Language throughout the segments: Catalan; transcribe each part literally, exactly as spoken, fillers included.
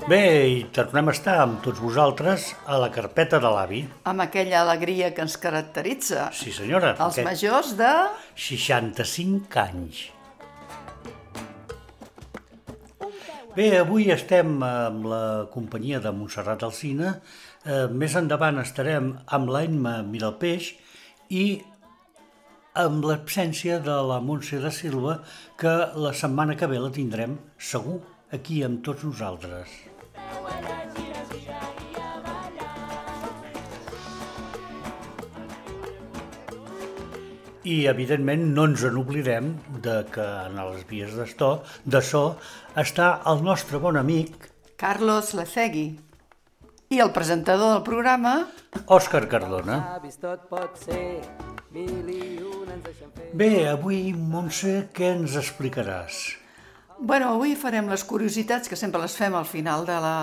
Bé, i tornem a estar amb tots vosaltres a la carpeta de l'avi. Amb aquella alegria que ens caracteritza. Sí, senyora. Els majors de... seixanta-cinc anys. Bé, avui estem amb la companyia de Montserrat Alsina. Eh, més endavant estarem amb l'Emma Miralpeix i amb l'absència de la Montse de Silva, que la setmana que ve la tindrem segur aquí amb tots nosaltres. I, evidentment, no ens n'oblidem de que en les vies de so està el nostre bon amic Carlos Lecegui i el presentador del programa Òscar Cardona. Bé, avui, Montse, què ens explicaràs? Bueno, avui farem les curiositats, que sempre les fem al final de la,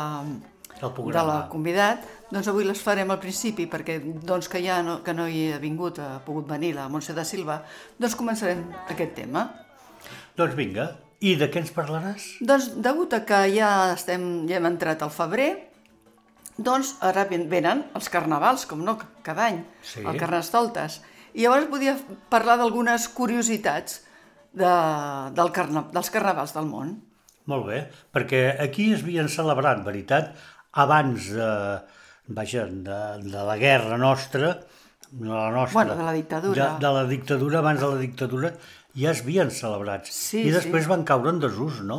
de la convidat. Doncs avui les farem al principi, perquè doncs, que ja no, que no hi ha vingut, ha pogut venir la Montse de Silva, doncs començarem aquest tema. Doncs vinga, i de què ens parlaràs? Doncs, degut a que ja, estem, ja hem entrat al febrer, doncs ara venen els carnavals, com no, cada any, sí. El Carnestoltes. I llavors podia parlar d'algunes curiositats de, del carna, dels carnavals del món. Molt bé, perquè aquí es havien celebrat, veritat, abans de, vaja, de, de la guerra nostra, de la nostra... Bueno, de la dictadura. De, de la dictadura, abans de la dictadura, ja es havien celebrat. Sí, I després sí. Van caure en desús, no?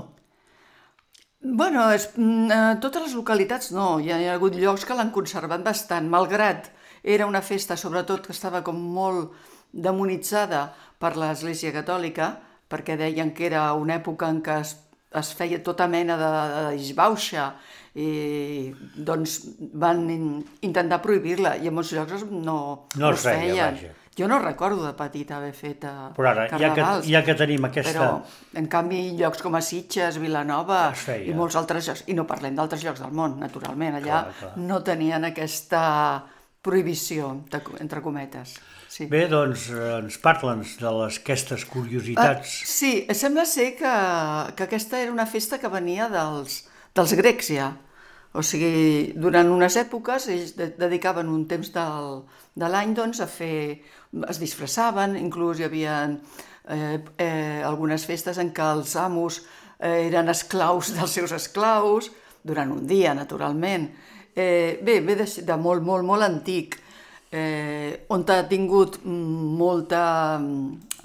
Bueno, és, a totes les localitats no, hi ha, hi ha hagut llocs que l'han conservat bastant, malgrat era una festa, sobretot, que estava com molt demonitzada per l'Església Catòlica, perquè deien que era una època en què es, es feia tota mena de, de disbauxa, i doncs van intentar prohibir-la, i en molts llocs no, no es feia, feien. Vaja. Jo no recordo de petit haver fet però ara, carnavals, ja que, ja que tenim aquesta... però en canvi llocs com a Sitges, Vilanova i molts altres llocs, i no parlem d'altres llocs del món, naturalment, allà clar, clar. No tenien aquesta prohibició, entre cometes. Sí. Bé, doncs ens parla'ns de les, aquestes curiositats. Uh, sí, sembla ser que, que aquesta era una festa que venia dels, dels grecs ja. O sigui, durant unes èpoques ells de, dedicaven un temps del, de l'any doncs, a fer... es disfressaven, inclús hi havia eh, eh, algunes festes en què els amos eh, eren esclaus dels seus esclaus, durant un dia, naturalment. Eh, bé, ve de, de molt, molt, molt antic, eh, on ha tingut molta...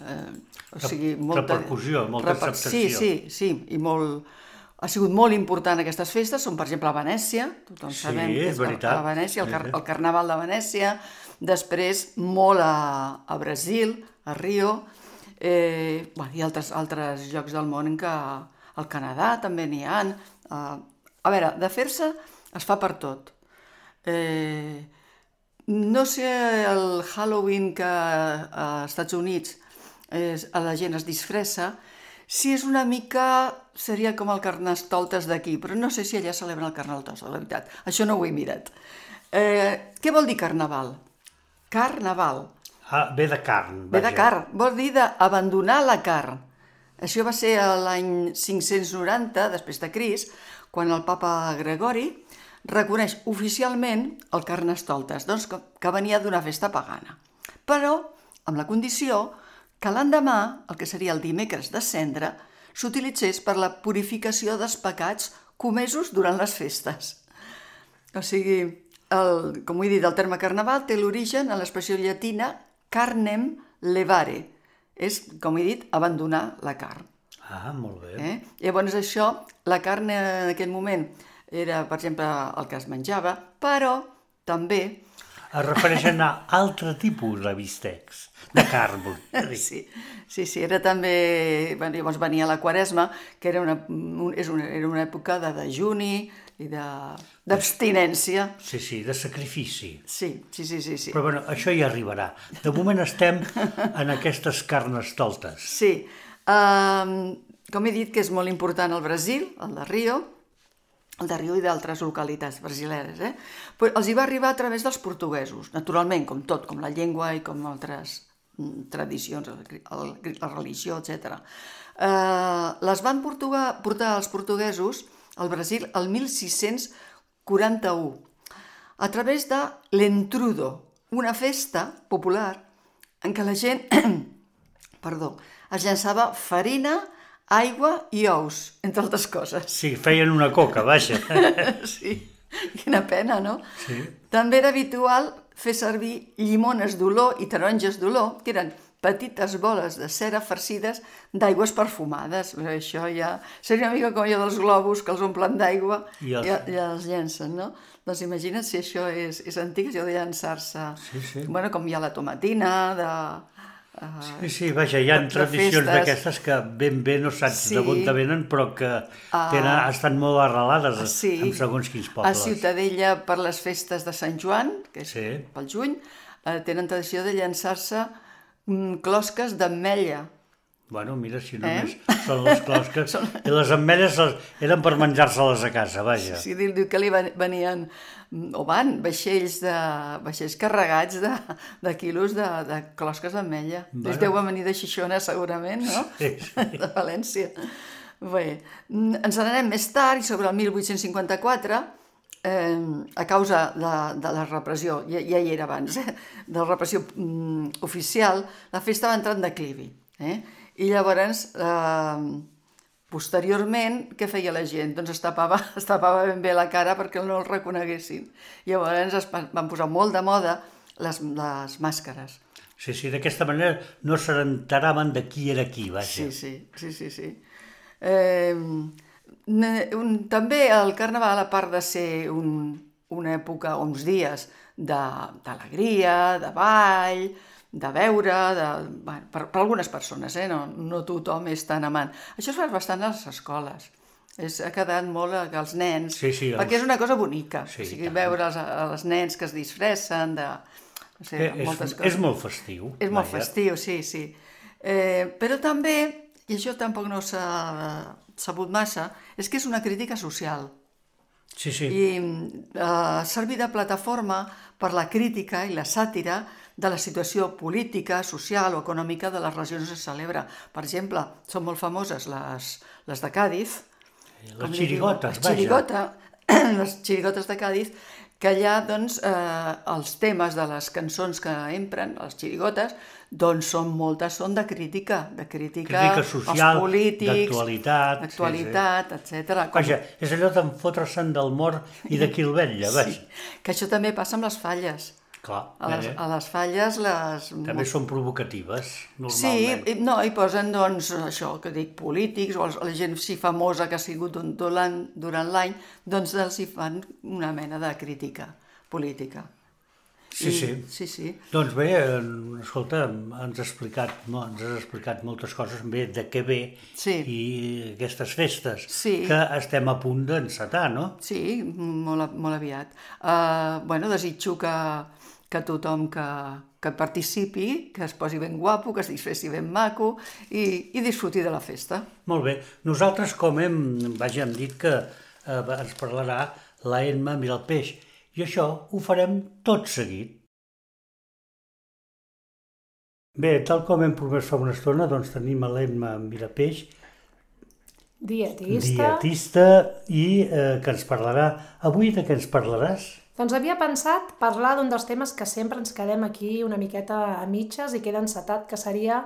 Eh, o sigui, molta repercussió, molta reper... acceptació. Sí, sí, sí, i molt... Ha sigut molt important aquestes festes, són per exemple a Venècia, tothom sí, sabem que és veritat. a Venècia, el, car el Carnaval de Venècia, després molt a, a Brasil, a Rio, eh, bueno, i altres, altres llocs del món en què al Canadà també n'hi ha. Eh, a veure, de fer-se es fa per tot. Eh, no sé el Halloween que a Estats Units eh, la gent es disfressa, si és una mica, seria com el Carnestoltes d'aquí, però no sé si allà celebren el Carnestoltes, la veritat. Això no ho he mirat. Eh, què vol dir carnaval? Carnaval. Ah, ve de carn. Ve de carn, vol dir d'abandonar la carn. Això va ser l'any cinc-cents noranta, després de Crist, quan el papa Gregori reconeix oficialment el Carnestoltes, doncs que, que venia d'una festa pagana. Però amb la condició que l'endemà, el que seria el dimecres de Cendra, s'utilitzés per la purificació dels pecats comesos durant les festes. O sigui, el, com ho he dit, el terme carnaval té l'origen en l'expressió llatina carnem levare. És, com he dit, abandonar la carn. Ah, molt bé. Eh? Llavors això, la carn en aquell moment era, per exemple, el que es menjava, però també... Es refereixen a altre tipus de bistecs, de carn. Sí, sí, sí, era també... Bueno, llavors venia la Quaresma, que era una, un, és una, era una època de dejuni i d'abstinència. Sí, sí, de sacrifici. Sí, sí, sí, sí, sí. Però bueno, això ja arribarà. De moment estem en aquestes carnestoltes. Sí, um, com he dit que és molt important el Brasil, el de Rio, el de Rio i d'altres localitats brasileres, eh? Però els hi va arribar a través dels portuguesos, naturalment, com tot, com la llengua i com altres tradicions, la religió, etcètera. Eh, les van portugar, portar els portuguesos al Brasil el mil sis-cents quaranta-u, a través de l'Entrudo, una festa popular en què la gent perdó, es llançava farina, aigua i ous, entre altres coses. Sí, feien una coca, vaja. Sí, quina pena, no? Sí. També era habitual fer servir llimones d'olor i taronges d'olor, que eren petites boles de cera farcides d'aigües perfumades. Això ja seria una mica com allò dels globus que els omplen d'aigua i, els... i, i els llencen, no? Doncs imagina't si això és, és antic, això de llançar-se. Sí, sí. Bueno, com hi ha la tomatina, de... Uh, sí, sí, vaja, hi ha tradicions d'aquestes que ben bé no saps sí. d'on te venen, però que tenen, uh, estan molt arrelades sí. en segons quins pobles. A Ciutadella, per les festes de Sant Joan, que és sí. pel juny, uh, tenen tradició de llançar-se um, closques d'ametlla. Bueno, mira, si només eh? són les closques. Són... I les ametlles eren per menjar-se-les a casa, vaja. Sí, sí, diu que li venien, o van, vaixells, de, vaixells carregats de, de quilos de, de closques d'ametlla. Bueno. Deu venir de Xixona, segurament, no? Sí, sí. De València. Bé, ens n'anem més tard, i sobre el mil vuit-cents cinquanta-quatre, eh, a causa de, de la repressió, ja, ja hi era abans, eh, de la repressió mm, oficial, la festa va entrar en declivi, eh? I llavors, eh, posteriorment, què feia la gent? Doncs es tapava, es tapava ben bé la cara perquè no el reconeguessin. Llavors es van posar molt de moda les, les màscares. Sí, sí, d'aquesta manera no s'enteraven de qui era qui, vaja. Sí, sí, sí, sí. sí. Eh, un, també el Carnaval, a part de ser un, una època, uns dies d'alegria, de, de ball, de veure, de, bueno, per, per algunes persones, eh? no, no tothom és tan amant. Això es fa bastant a les escoles. És, ha quedat molt als nens, sí, sí, perquè els... és una cosa bonica. Sí, o sigui, veure els, els nens que es disfressen de, no sé, eh, moltes és, coses. És molt festiu. És molt vaja. festiu, sí, sí. Eh, però també, i això tampoc no s'ha sabut massa, és que és una crítica social. Sí, sí. I eh, servir de plataforma per la crítica i la sàtira de la situació política, social o econòmica de les regions on es celebra. Per exemple, són molt famoses les, les de Càdiz. Les xirigotes, les xirigota, les xirigotes de Càdiz, que allà doncs, eh, els temes de les cançons que empren, les xirigotes, doncs són moltes, són de crítica, de crítica, crítica social, als polítics, d'actualitat, d'actualitat, sí, sí. etcètera. Com... Vaja, és allò d'enfotre-se'n del mort i de qui el vetlla, vaja. Sí, que això també passa amb les falles. Clar, a, les, a les falles les... també són provocatives, normalment. Sí, no, hi posen, doncs, això que dic, polítics, o la gent sí famosa que ha sigut durant l'any, doncs els hi fan una mena de crítica política. Sí, I, sí. Sí, sí. Doncs bé, escolta, ens has explicat, no, ens has explicat moltes coses bé de què ve sí. i aquestes festes sí. que estem a punt d'encetar, no? Sí, molt, molt aviat. Uh, bueno, desitjo que, que tothom que, que participi, que es posi ben guapo, que es disfressi ben maco i, i disfruti de la festa. Molt bé. Nosaltres, com hem, vaja, hem dit que eh, ens parlarà la Emma Miralpeix, i això ho farem tot seguit. Bé, tal com hem promès fa una estona, doncs tenim a l'Emma Miralpeix, dietista, dietista i eh, que ens parlarà. Avui de què ens parlaràs? Doncs havia pensat parlar d'un dels temes que sempre ens quedem aquí una miqueta a mitges i queda encetat, que seria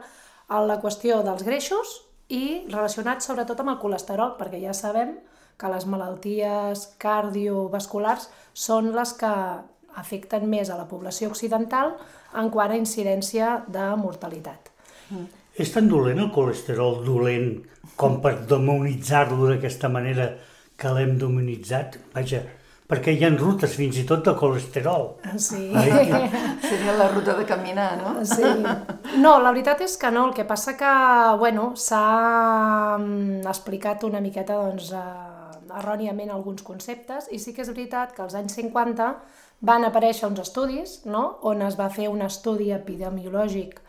la qüestió dels greixos i relacionat sobretot amb el colesterol, perquè ja sabem que les malalties cardiovasculars són les que afecten més a la població occidental en quant a incidència de mortalitat. Mm. És tan dolent el colesterol dolent com per demonitzar-lo d'aquesta manera que l'hem demonitzat? Vaja, perquè hi ha rutes fins i tot de colesterol. Sí. Seria la ruta de caminar, no? Sí. No, la veritat és que no. El que passa que, bueno, s'ha explicat una miqueta, doncs, erròniament alguns conceptes, i sí que és veritat que als anys cinquanta van aparèixer uns estudis, no?, on es va fer un estudi epidemiològic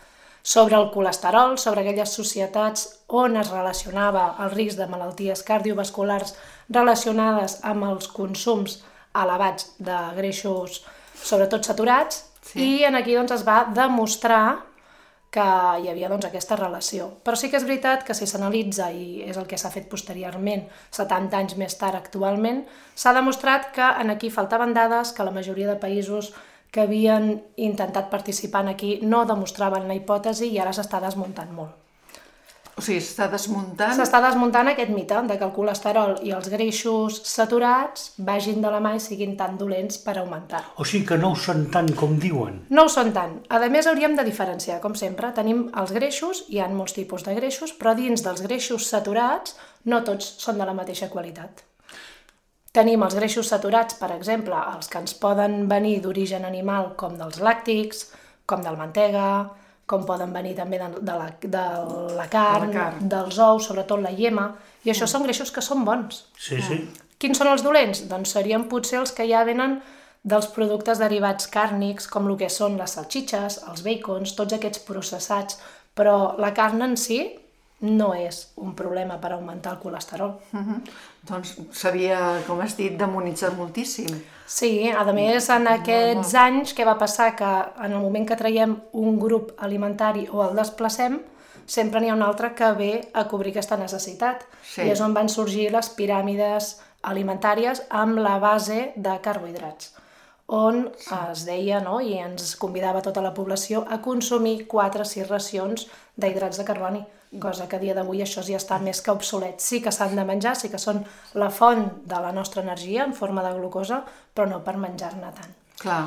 sobre el colesterol, sobre aquelles societats on es relacionava el risc de malalties cardiovasculars relacionades amb els consums elevats de greixos, sobretot saturats, sí. I en aquí doncs, es va demostrar que hi havia doncs, aquesta relació. Però sí que és veritat que si s'analitza, i és el que s'ha fet posteriorment, setanta anys més tard actualment, s'ha demostrat que en aquí faltaven dades, que la majoria de països que havien intentat participar en aquí no demostraven la hipòtesi i ara s'està desmuntant molt. O sigui, s'està desmuntant... S'està desmuntant aquest mite de que el colesterol i els greixos saturats vagin de la mà i siguin tan dolents per augmentar. O sigui que no ho són tant com diuen. No ho són tant. A més, hauríem de diferenciar, com sempre. Tenim els greixos, hi ha molts tipus de greixos, però dins dels greixos saturats no tots són de la mateixa qualitat. Tenim els greixos saturats, per exemple, els que ens poden venir d'origen animal, com dels làctics, com del mantega, com poden venir també de, de, la, de la carn, de la carn, dels ous, sobretot la iema, i això mm. són greixos que són bons. Sí, sí. Quins són els dolents? Doncs serien potser els que ja venen dels productes derivats càrnics, com el que són les salxitxes, els bacons, tots aquests processats, però la carn en si no és un problema per augmentar el colesterol. Uh-huh. Doncs s'havia, com has dit, demonitzat moltíssim. Sí, a més, en aquests anys, què va passar? Que en el moment que traiem un grup alimentari o el desplacem, sempre n'hi ha un altre que ve a cobrir aquesta necessitat. Sí. I és on van sorgir les piràmides alimentàries amb la base de carbohidrats, on es deia, no?, i ens convidava tota la població a consumir quatre o sis racions d'hidrats de carboni, cosa que a dia d'avui això ja està més que obsolet. Sí que s'han de menjar, sí que són la font de la nostra energia en forma de glucosa, però no per menjar-ne tant. Clar.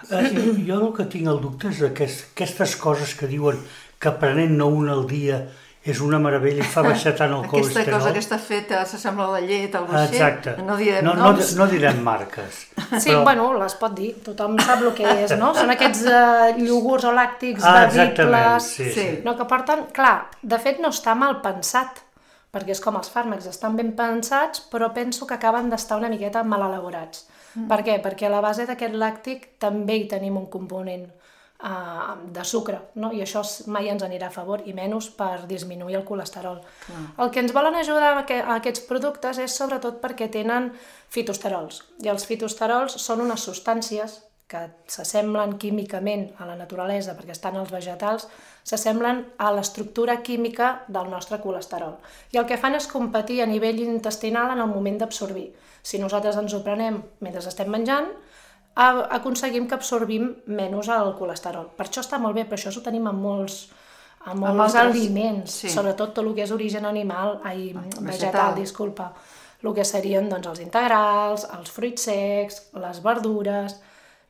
Eh, jo el que tinc el dubte és aquest, aquestes coses que diuen que prenent-ne una al dia és una meravella i fa baixar tant el aquesta colesterol. Aquesta cosa que està feta s'assembla a la llet, algo així. Exacte. No direm no, no, noms. no direm marques. Sí, però... bueno, les pot dir, tothom sap el que és, no? Són aquests uh, iogurts o làctics ah, bevibles, sí, sí. no, que porten... Clar, de fet no està mal pensat, perquè és com els fàrmacs, estan ben pensats, però penso que acaben d'estar una miqueta mal elaborats. Mm. Per què? Perquè a la base d'aquest làctic també hi tenim un component uh, de sucre, no? I això mai ens anirà a favor, i menys per disminuir el colesterol. Mm. El que ens volen ajudar a aquests productes és sobretot perquè tenen fitosterols, i els fitosterols són unes substàncies que s'assemblen químicament a la naturalesa, perquè estan als vegetals, s'assemblen a l'estructura química del nostre colesterol. I el que fan és competir a nivell intestinal en el moment d'absorbir. Si nosaltres ens ho prenem mentre estem menjant, aconseguim que absorbim menys el colesterol. Per això està molt bé, però això ho tenim en molts, en molts altres aliments, sí. Sobretot tot el que és origen animal, ai, vegetal, vegetal, disculpa. El que serien doncs, els integrals, els fruits secs, les verdures...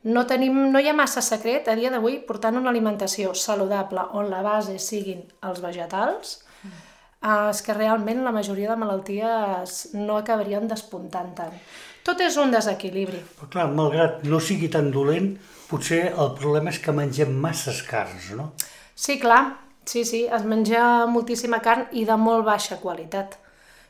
No, tenim, no hi ha massa secret a dia d'avui portant una alimentació saludable on la base siguin els vegetals, mm. eh, és que realment la majoria de malalties no acabarien despuntant tant. Tot és un desequilibri. Però clar, malgrat no sigui tan dolent, potser el problema és que mengem masses carns, no? Sí, clar, sí, sí, es menja moltíssima carn i de molt baixa qualitat.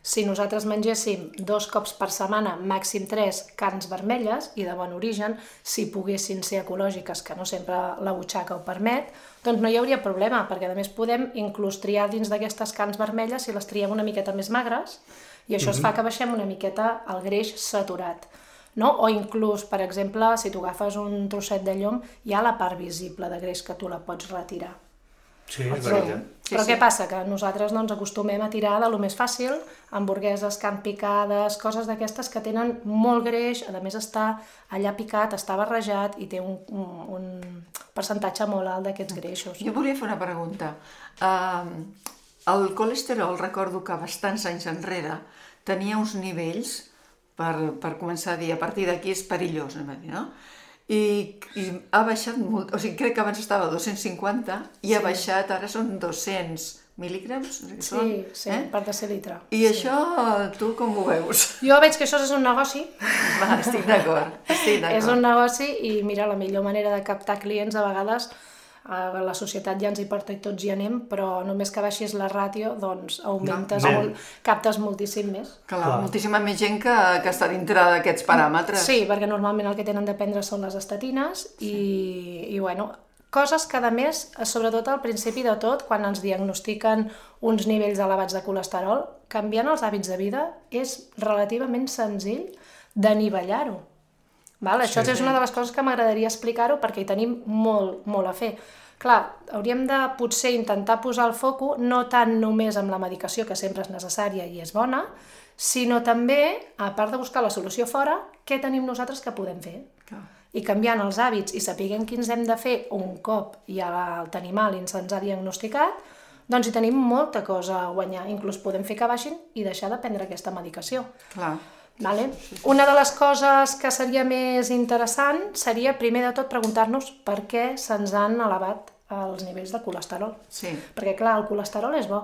Si nosaltres mengéssim dos cops per setmana, màxim tres, carns vermelles i de bon origen, si poguessin ser ecològiques, que no sempre la butxaca ho permet, doncs no hi hauria problema, perquè a més podem inclús triar dins d'aquestes carns vermelles si les triem una miqueta més magres, i això mm-hmm. es fa que baixem una miqueta el greix saturat. No? O inclús, per exemple, si tu agafes un trosset de llom, hi ha la part visible de greix que tu la pots retirar. Sí, és veritat. Sí, però sí. Què passa? Que nosaltres no ens acostumem a tirar de lo més fàcil, hamburgueses, carn picades, coses d'aquestes que tenen molt greix, a més està allà picat, està barrejat i té un, un, un percentatge molt alt d'aquests greixos. Jo volia fer una pregunta. Uh, el colesterol, recordo que bastants anys enrere tenia uns nivells, per, per començar a dir, a partir d'aquí és perillós, no? I, i ha baixat molt, o sigui, crec que abans estava a dos-cents cinquanta i sí. Ha baixat, ara són dos-cents mil·ligrams? Sí, són, sí, eh? Per decilitre. I sí. Això, tu com ho veus? Jo veig que això és un negoci. Va, estic d'acord, estic d'acord. És un negoci i mira, la millor manera de captar clients a vegades, a la societat ja ens hi porta i tots hi anem, però només que baixis la ràtio, doncs augmentes, no, molt, captes moltíssim més. Clar, Clar. Moltíssima més gent que, que està dintre d'aquests paràmetres. Sí, perquè normalment el que tenen de prendre són les estatines i, sí. i bueno, coses que a més, sobretot al principi de tot, quan ens diagnostiquen uns nivells elevats de colesterol, canviant els hàbits de vida és relativament senzill d'anivellar-ho. Val? Això sí, és una de les coses que m'agradaria explicar-ho perquè hi tenim molt, molt a fer. Clar, hauríem de potser intentar posar el foco no tant només amb la medicació, que sempre és necessària i és bona, sinó també, a part de buscar la solució fora, què tenim nosaltres que podem fer? Clar. I canviant els hàbits i sapiguem quins hem de fer un cop ja el tenim mal i se'ns ha diagnosticat, doncs hi tenim molta cosa a guanyar. Inclús podem fer que baixin i deixar de prendre aquesta medicació. Clar. Vale? Una de les coses que seria més interessant seria, primer de tot, preguntar-nos per què se'ns han elevat els nivells de colesterol. Sí. Perquè, clar, el colesterol és bo.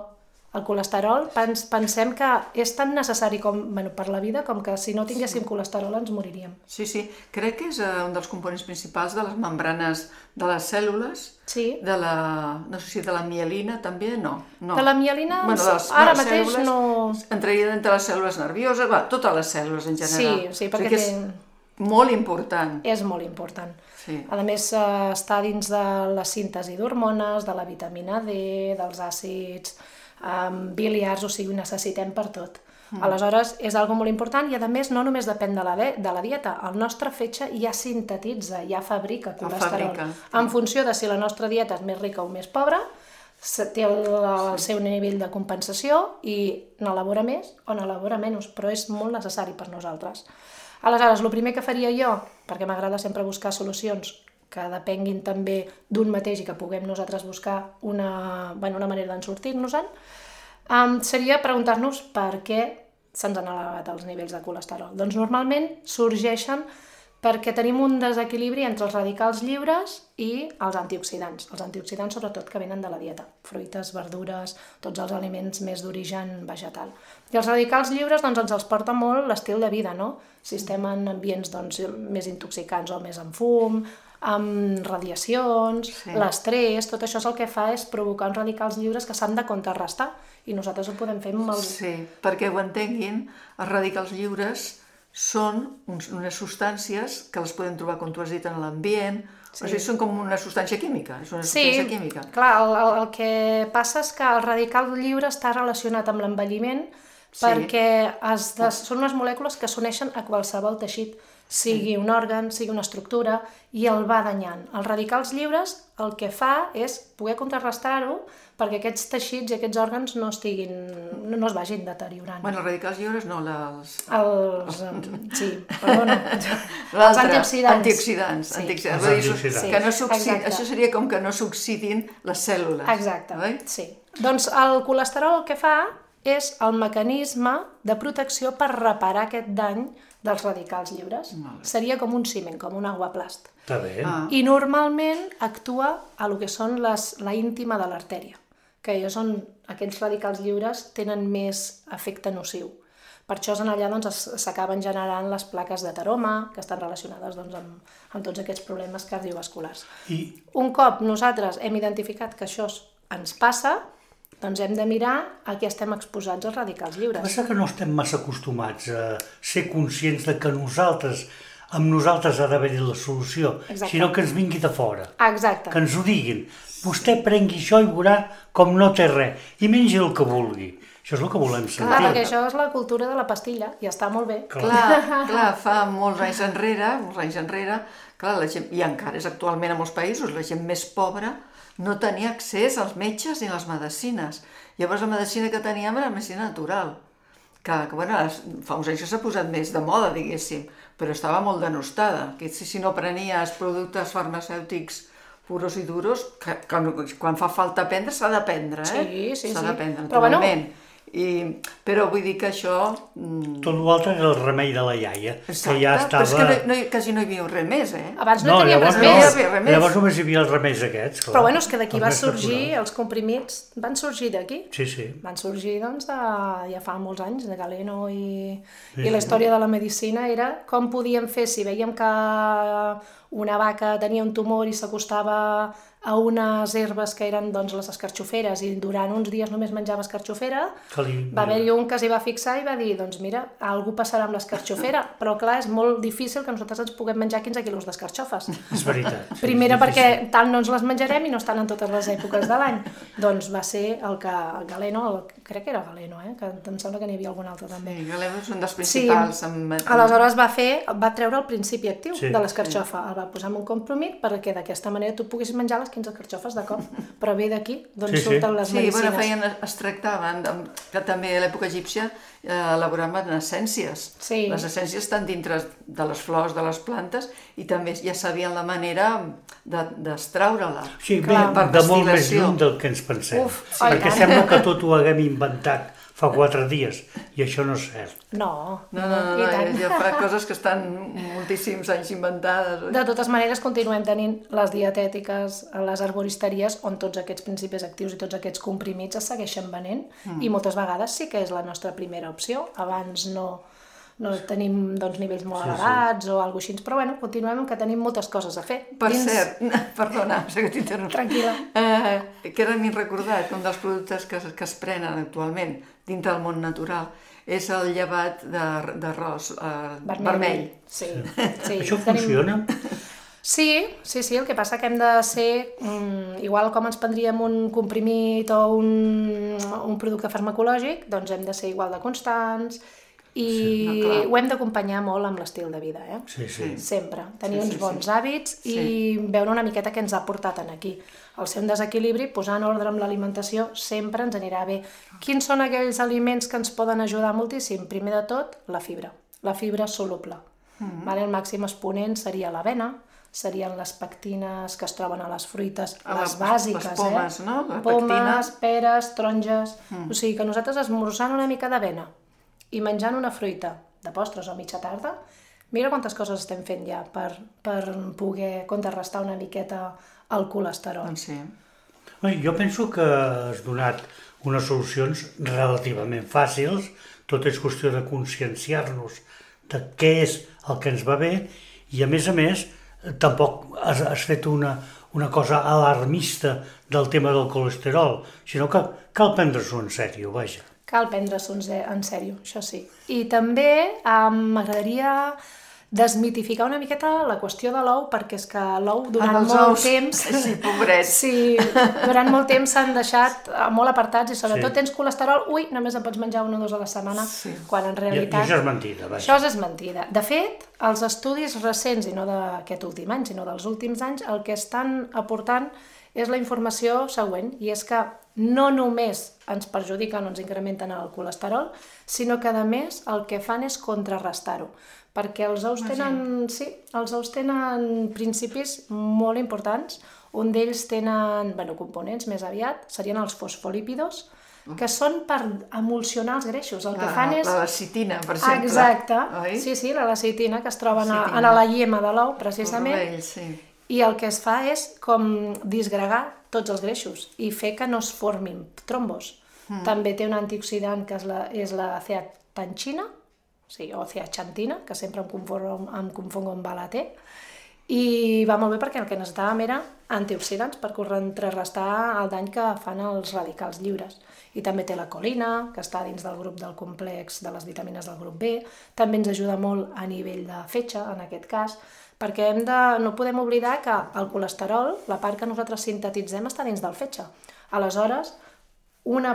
El colesterol pens, pensem que és tan necessari com, bueno, per la vida com que si no tinguéssim sí. colesterol ens moriríem. Sí, sí. Crec que és uh, un dels components principals de les membranes de les cèl·lules, sí. de la, no sé si de la mielina també, no. no. De la mielina, bueno, de les, ara de les mateix cèl·lules, no... Entraria dintre les cèl·lules nervioses, va, totes les cèl·lules en general. Sí, sí, perquè o sigui que és molt important. És molt important. Sí. A més, eh, està dins de la síntesi d'hormones, de la vitamina D, dels àcids um, biliars, o sigui, ho necessitem per tot. Mm. Aleshores, és algo molt important i, a més, no només depèn de la, de, de la dieta. El nostre fetge ja sintetitza, ja fabrica colesterol. Fabrica, sí. En funció de si la nostra dieta és més rica o més pobra, té el, el sí. seu nivell de compensació i n'elabora més o n'elabora menys, però és molt necessari per nosaltres. Aleshores, el primer que faria jo, perquè m'agrada sempre buscar solucions que depenguin també d'un mateix i que puguem nosaltres buscar una, bueno, una manera d'en sortir-nos-en, um, seria preguntar-nos per què se'ns han elevat els nivells de colesterol. Doncs normalment sorgeixen perquè tenim un desequilibri entre els radicals lliures i els antioxidants. Els antioxidants sobretot que venen de la dieta, fruites, verdures, tots els aliments més d'origen vegetal. I els radicals lliures doncs, ens els porta molt l'estil de vida, no? Si estem en ambients doncs, més intoxicants o més amb fum, amb radiacions, sí. l'estrès, tot això és el que fa és provocar uns radicals lliures que s'han de contrarrestar i nosaltres ho podem fer amb els... Sí, perquè ho entenguin, els radicals lliures són uns, unes substàncies que les podem trobar, com tu has dit, en l'ambient, sí. o sigui, són com una substància química, és una substància sí, química. Clar, el, el, el que passa és que el radical lliure està relacionat amb l'envelliment sí. perquè es de, són unes molècules que s'uneixen a qualsevol teixit, sigui sí. un òrgan, sigui una estructura, i el va danyant. Els radicals lliures el que fa és poder contrarrestar-ho perquè aquests teixits i aquests òrgans no estiguin, no, no es vagin deteriorant. Bueno, els radicals lliures no, els... Els... sí, perdona. Els antioxidants. Antioxidants. Sí. antioxidants. Els antioxidants. Sí. Que no s'oxidin, això seria com que no s'oxidin les cèl·lules. Exacte, oi? sí. Doncs el colesterol el que fa és el mecanisme de protecció per reparar aquest dany dels radicals lliures. Seria com un ciment, com un aguaplast. Està bé. Ah. I normalment actua a lo que són les, la íntima de l'artèria, que és on aquests radicals lliures tenen més efecte nociu. Per això en allà doncs, s'acaben generant les plaques d'ateroma, que estan relacionades doncs, amb, amb tots aquests problemes cardiovasculars. I... Un cop nosaltres hem identificat que això ens passa, doncs hem de mirar a què estem exposats els radicals lliures. Passa que no estem massa acostumats a ser conscients de que nosaltres, amb nosaltres ha d'haver-hi la solució, Exacte. sinó que ens vingui de fora. Exacte. Que ens ho diguin. Vostè prengui això i veurà com no té res. I mengi el que vulgui. Això és el que volem sentir. Clar, perquè això és la cultura de la pastilla i està molt bé. Clar, clar, clar fa molts anys enrere, molts anys enrere, clar, la gent, i encara és actualment a molts països, la gent més pobra no tenia accés als metges ni a les medicines. Llavors la medicina que teníem era la medicina natural, que, que bueno, fa uns anys que s'ha posat més de moda, diguéssim, però estava molt denostada, que si, si no prenies productes farmacèutics puros i duros, que, que quan fa falta prendre s'ha de prendre, eh? Sí, sí, s'ha sí. de prendre, Però naturalment. Bueno... I, però vull dir que això... Mm... Tot l'altre era el remei de la iaia, Exacte, que ja estava... però és que no, no, quasi no hi havia res més, eh? Abans no, No, teníem llavors res no, més. res més. llavors només hi havia els remeis aquests. Clar. Però bueno, és que d'aquí Els va més sorgir, naturals. els comprimits van sorgir d'aquí. Sí, sí. Van sorgir, doncs, de, ja fa molts anys, de Galeno i, Sí, i la sí. història de la medicina era com podíem fer, si veiem que una vaca tenia un tumor i s'acostava a unes herbes que eren doncs, les escarxoferes i durant uns dies només menjava escarxofera, Que li... va haver-hi un que s'hi va fixar i va dir, doncs mira, algú passarà amb l'escarxofera, però clar, és molt difícil que nosaltres ens puguem menjar quinze quilos d'escarxofes. És veritat. Sí, Primera és perquè difícil. tant no ens les menjarem i no estan en totes les èpoques de l'any. Doncs va ser el que el Galeno, el, crec que era Galeno, eh? Que em sembla que n'hi havia algun altre també. Sí, Galeno és un dels principals. Sí. Amb... Aleshores va fer, va treure el principi actiu Sí. de l'escarxofa, el va posar en un compromís perquè d'aquesta manera tu puguis menjar les quinze carxofes de cop. Però ve d'aquí, d'on sí, surten sí. les sí, medicines. Bueno, feien, es tractaven, que també a l'època egípcia eh, elaboraven essències. Sí. Les essències estan dintre de les flors de les plantes i també ja sabien la manera d'extraure-la. Sí, bé, de molt més lluny del que ens pensem. Uf, perquè oi, sembla que tot ho haguem inventat fa quatre dies, i això no és cert. No, no, no, no, no hi ha coses que estan moltíssims anys inventades. Oi? De totes maneres, continuem tenint les dietètiques, les arboristeries, on tots aquests principis actius i tots aquests comprimits es segueixen venent, mm. i moltes vegades sí que és la nostra primera opció. Abans no, no tenim doncs, nivells molt sí, elevats sí. o alguna cosa així, però bueno, continuem que tenim moltes coses a fer. Per dins... cert, perdona, sé que t'interrompo. Tranquil·la. Eh, que ara m'he recordat que un dels productes que, que es prenen actualment dintre del món natural és el llevat d'arròs eh, vermell. vermell. Sí, sí. Això funciona? Sí, sí, sí, el que passa que hem de ser, um, igual com ens prendríem un comprimit o un, un producte farmacològic, doncs hem de ser igual de constants, i sí, no, ho hem d'acompanyar molt amb l'estil de vida, eh? Sí, sí. Sempre. Tenir sí, sí, uns bons sí. hàbits i sí. veure una miqueta què ens ha portat en aquí. El ser un desequilibri, posar en ordre amb l'alimentació, sempre ens anirà bé. Quins són aquells aliments que ens poden ajudar moltíssim? Primer de tot, la fibra. La fibra soluble. Mm-hmm. Vale? El màxim exponent seria l'avena, serien les pectines que es troben a les fruites, a les bàsiques, les pomes, eh? no? La pomes, peres, taronges... Mm. O sigui que nosaltres esmorzant una mica d'avena i menjant una fruita de postres o mitja tarda, mira quantes coses estem fent ja per, per poder contrarrestar una miqueta el colesterol. Doncs sí. Jo penso que has donat unes solucions relativament fàcils, tot és qüestió de conscienciar-nos de què és el que ens va bé i a més a més tampoc has, has fet una, una cosa alarmista del tema del colesterol, sinó que cal prendre-s'ho en sèrio, vaja. Cal prendre-s'ho en sèrio, això sí. I també eh, m'agradaria desmitificar una miqueta la qüestió de l'ou, perquè és que l'ou durant els molt ous, temps... Sí, pobrets. Sí, durant molt temps s'han deixat molt apartats i sobretot sí. tens colesterol, ui, només en pots menjar un o dos a la setmana, sí. quan en realitat... I això és mentida, vaja. Això és mentida. De fet, els estudis recents, i no d'aquest últim any, sinó dels últims anys, el que estan aportant és la informació següent, i és que no només ens perjudiquen o ens incrementen el colesterol, sinó que a més el que fan és contrarrestar-ho, perquè els ous tenen, sí, els ous tenen principis molt importants, un d'ells tenen, bueno, components més aviat, serien els fosfolípidos, que són per emulsionar els greixos. El que fan és... La lecitina, per exemple. Exacte, oi? sí, sí, la lecitina que es troba a la lliema de l'ou, precisament. Vermell, sí. I el que es fa és com disgregar tots els greixos i fer que no es formin trombos. Mm. També té un antioxidant que és la, és la zeaxantina, sí, o zeaxantina, que sempre em confongo, em confongo amb la T, i va molt bé perquè el que necessitàvem era antioxidants per contrarrestar el dany que fan els radicals lliures. I també té la colina, que està dins del grup del complex de les vitamines del grup B, també ens ajuda molt a nivell de fetge, en aquest cas, perquè hem de, no podem oblidar que el colesterol, la part que nosaltres sintetitzem, està dins del fetge. Aleshores, una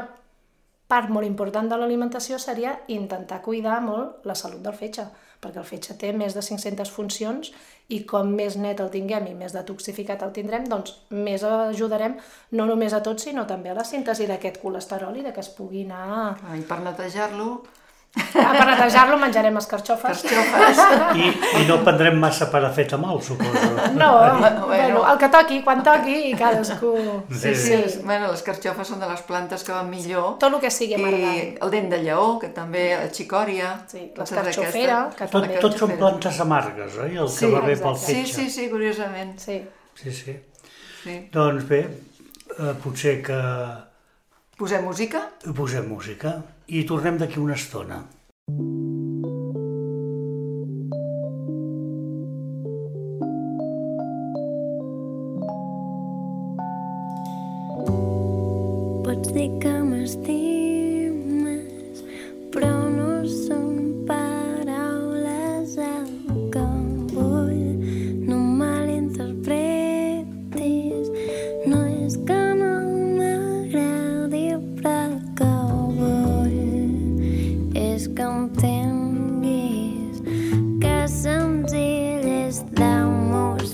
part molt important de l'alimentació seria intentar cuidar molt la salut del fetge, perquè el fetge té més de cinc-centes funcions i com més net el tinguem i més detoxificat el tindrem, doncs més ajudarem no només a tots, sinó també a la síntesi d'aquest colesterol i de que es pugui anar... I per netejar-lo... Ah, per netejar-lo menjarem escarxofes. I, I no prendrem massa paracetamol, suposo. No, bueno, bueno, el que toqui, quan toqui, i cadascú... Sí, sí, sí. Bueno, les carxofes són de les plantes que van millor. Tot el que sigui amargant. I el dent de lleó, que també, la xicòria... Sí, l'escarxofera... Que tot, tot són plantes amargues, oi? El que sí, va bé pel exacte. fetge. Sí, sí, sí, curiosament. Sí. Sí, sí. sí. Doncs bé, eh, potser que... Posem música? Posem música i tornem d'aquí una estona. Pots dir que m'estimes, però no són paraules el que vull. No malinterpretis, no és que no m'agradi, però el que vull és que entenguis que senzill és d'amors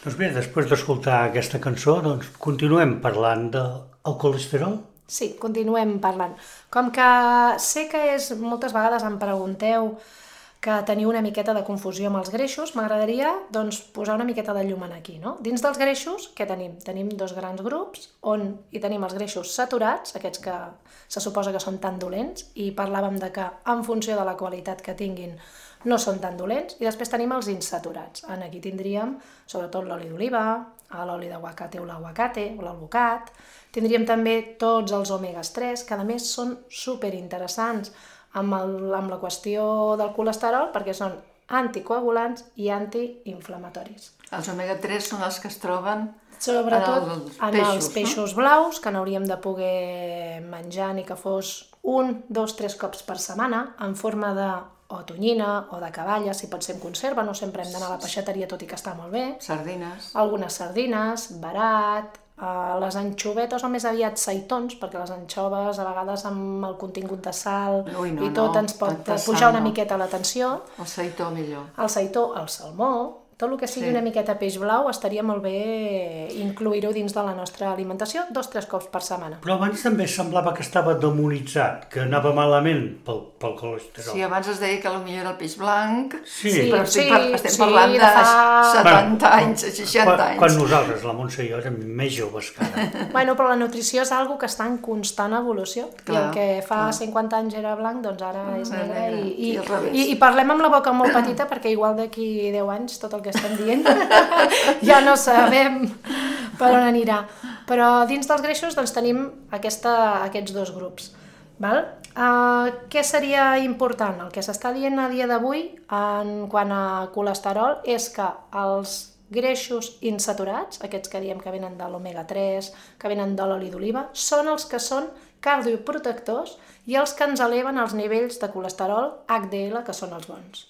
Doncs bé, després d'escoltar aquesta cançó, doncs continuem parlant del colesterol. Sí, continuem parlant. Com que sé que és, moltes vegades em pregunteu que teniu una miqueta de confusió amb els greixos, m'agradaria doncs, posar una miqueta de llum aquí. No? Dins dels greixos, què tenim? Tenim dos grans grups on hi tenim els greixos saturats, aquests que se suposa que són tan dolents, i parlàvem de que en funció de la qualitat que tinguin no són tan dolents, i després tenim els insaturats. En aquí tindríem sobretot l'oli d'oliva, l'oli d'aguacate o l'aguacate o l'alvocat, tindríem també tots els òmegas tres, que a més són superinteressants amb, el, amb la qüestió del colesterol perquè són anticoagulants i antiinflamatoris. Els òmega tres són els que es troben sobretot en els en peixos, els peixos no? blaus, que n'hauríem de poder menjar ni que fos un, dos, tres cops per setmana, en forma de o tonyina o de caballa, si pot ser en conserva, no sempre hem d'anar a la peixateria, tot i que està molt bé. Sardines. Algunes sardines, barat, eh, les anxovetes o més aviat seitons, perquè les anxoves a vegades amb el contingut de sal Ui, no, i tot no, ens pot tanta pujar sal, una no. miqueta la tensió. El seitó millor. El seitó, el salmó, tot el que sigui Sí. una miqueta peix blau estaria molt bé incluir-ho dins de la nostra alimentació dos o tres cops per setmana. Però abans també semblava que estava demonitzat, que anava malament pel, pel colesterol. Sí, abans es deia que potser era el peix blanc, Sí. però Sí, estic, par estem sí, parlant de de fa- setanta Bueno, anys, seixanta quan, anys. Quan nosaltres, la Montse i jo, érem més joves que ara. Bueno, però la nutrició és algo que està en constant evolució. Clar, I el que fa clar. cinquanta anys era blanc, doncs ara és Ara negre. negre, I, i, i al revés. i, I parlem amb la boca molt petita perquè igual d'aquí deu anys tot el que estem dient ja no sabem per on anirà. Però dins dels greixos doncs, tenim aquesta, aquests dos grups. Val? Uh, què seria important? El que s'està dient a dia d'avui en quant a colesterol és que els greixos insaturats, aquests que diem que venen de l'omega tres, que venen de l'oli d'oliva, són els que són cardioprotectors i els que ens eleven els nivells de colesterol H D L, que són els bons.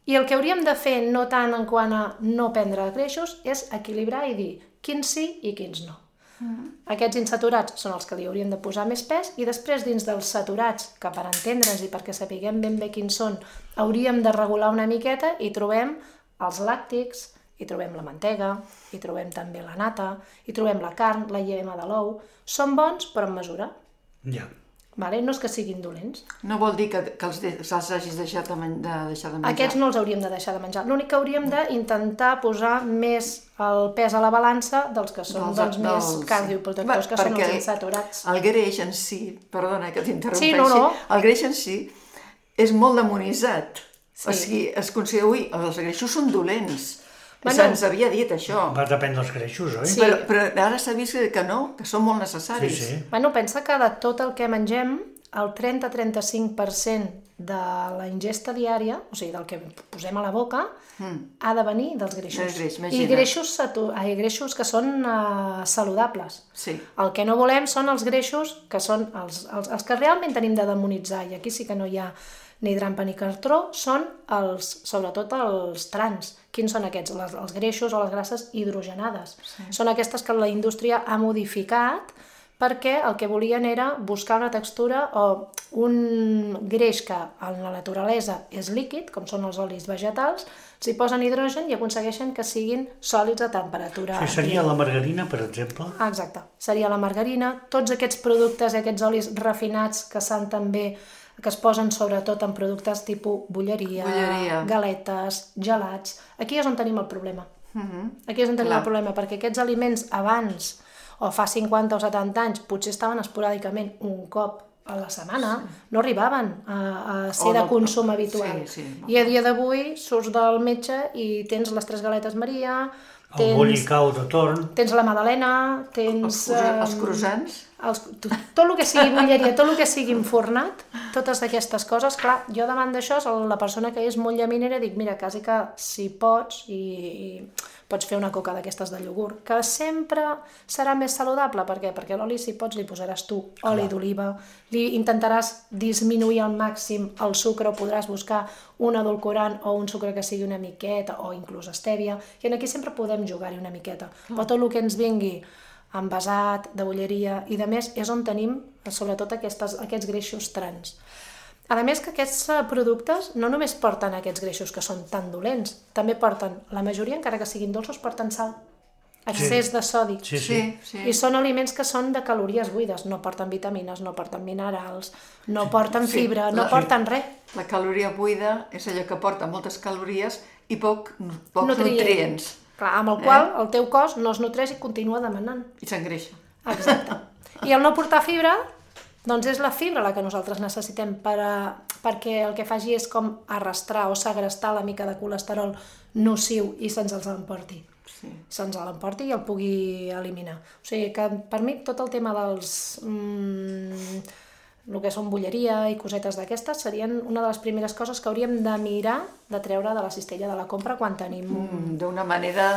I el que hauríem de fer, no tant en quant a no prendre greixos, és equilibrar i dir quins sí i quins no. Mm. Aquests insaturats són els que li hauríem de posar més pes i després dins dels saturats, que per entendre'ns i perquè sapiguem ben bé quins són, hauríem de regular una miqueta i trobem els làctics, hi trobem la mantega, hi trobem també la nata, hi trobem la carn, la llema de l'ou. Són bons, però en mesura. Ja. Vale? No és que siguin dolents. No vol dir que, que els, de, que els hagis deixat de, men de deixar de menjar. Aquests no els hauríem de deixar de menjar. L'únic que hauríem d'intentar posar més el pes a la balança dels que són Dels- doncs, més dels- cardioprotectors, Va, que són perquè els insaturats. El greix en si, perdona que t'interrompeixi, Sí, no, no. el greix en si és molt demonitzat. Sí. O sigui, es considera, ui, els greixos són dolents. Bueno. Se'ns havia dit això. Va depèn dels greixos, oi? Sí. Però, però ara s'ha vist que no, que són molt necessaris. Sí, sí. Bueno, pensa que de tot el que mengem, el trenta a trenta-cinc per cent de la ingesta diària, o sigui, del que posem a la boca, mm. ha de venir dels greixos. Del greix, I imagina't. greixos, satu- ai, greixos que són uh, saludables. Sí. El que no volem són els greixos que són els, els, els que realment tenim de demonitzar, i aquí sí que no hi ha ni trampa ni cartró, són els, sobretot els trans. Quins són aquests? Les, els greixos o les grasses hidrogenades. Sí. Són aquestes que la indústria ha modificat perquè el que volien era buscar una textura o un greix que en la naturalesa és líquid, com són els olis vegetals, s'hi posen hidrogen i aconsegueixen que siguin sòlids a temperatura. Sí, seria la margarina, per exemple. Ah, exacte. Seria la margarina. Tots aquests productes i aquests olis refinats que s'han també que es posen sobretot en productes tipus bolleria, Bolleria. galetes, gelats. Aquí és on tenim el problema. Mm-hmm. Aquí és on tenim Clar. el problema, perquè aquests aliments abans, o fa cinquanta o setanta anys, potser estaven esporàdicament un cop a la setmana, sí. no arribaven a, a ser O de no- consum habitual. Sí, sí. I a dia d'avui surts del metge i tens les tres galetes Maria, El tens, bollicau de torn. tens la magdalena, tens... Els, cruza- els em, croissants. els, tot, tot el que sigui bolleria, tot el que sigui enfornat, totes aquestes coses, clar, jo davant d'això, la persona que és molt llaminera, dic, mira, quasi que si pots, i, i pots fer una coca d'aquestes de iogurt, que sempre serà més saludable, per què? Perquè l'oli, si pots, li posaràs tu oli d'oliva, li intentaràs disminuir al màxim el sucre, o podràs buscar un edulcorant o un sucre que sigui una miqueta, o inclús stèvia, i aquí sempre podem jugar-hi una miqueta, però tot el que ens vingui envasat, de bolleria i de més, és on tenim sobretot aquestes, aquests greixos trans. A més que aquests productes no només porten aquests greixos que són tan dolents, també porten, la majoria, encara que siguin dolços, porten sal. excés de sodi. Sí, sí. Sí, I sí. són aliments que són de calories buides, no porten vitamines, no porten minerals, no porten Sí, fibra, la- no porten res. La caloria buida és allò que porta moltes calories i poc, pocs Nutrient. nutrients. Clar, amb el qual el teu cos no es nutreix i continua demanant. I s'engreixa. Exacte. I el no portar fibra, doncs és la fibra la que nosaltres necessitem per a, perquè el que faci és com arrastrar o segrestar la mica de colesterol nociu i se'ns els emporti. Sí. Se'ns l'emporti i el pugui eliminar. O sigui que per mi tot el tema dels... Mm, el que són bulleria i cosetes d'aquestes serien una de les primeres coses que hauríem de mirar de treure de la cistella de la compra quan tenim... Mm, D'una manera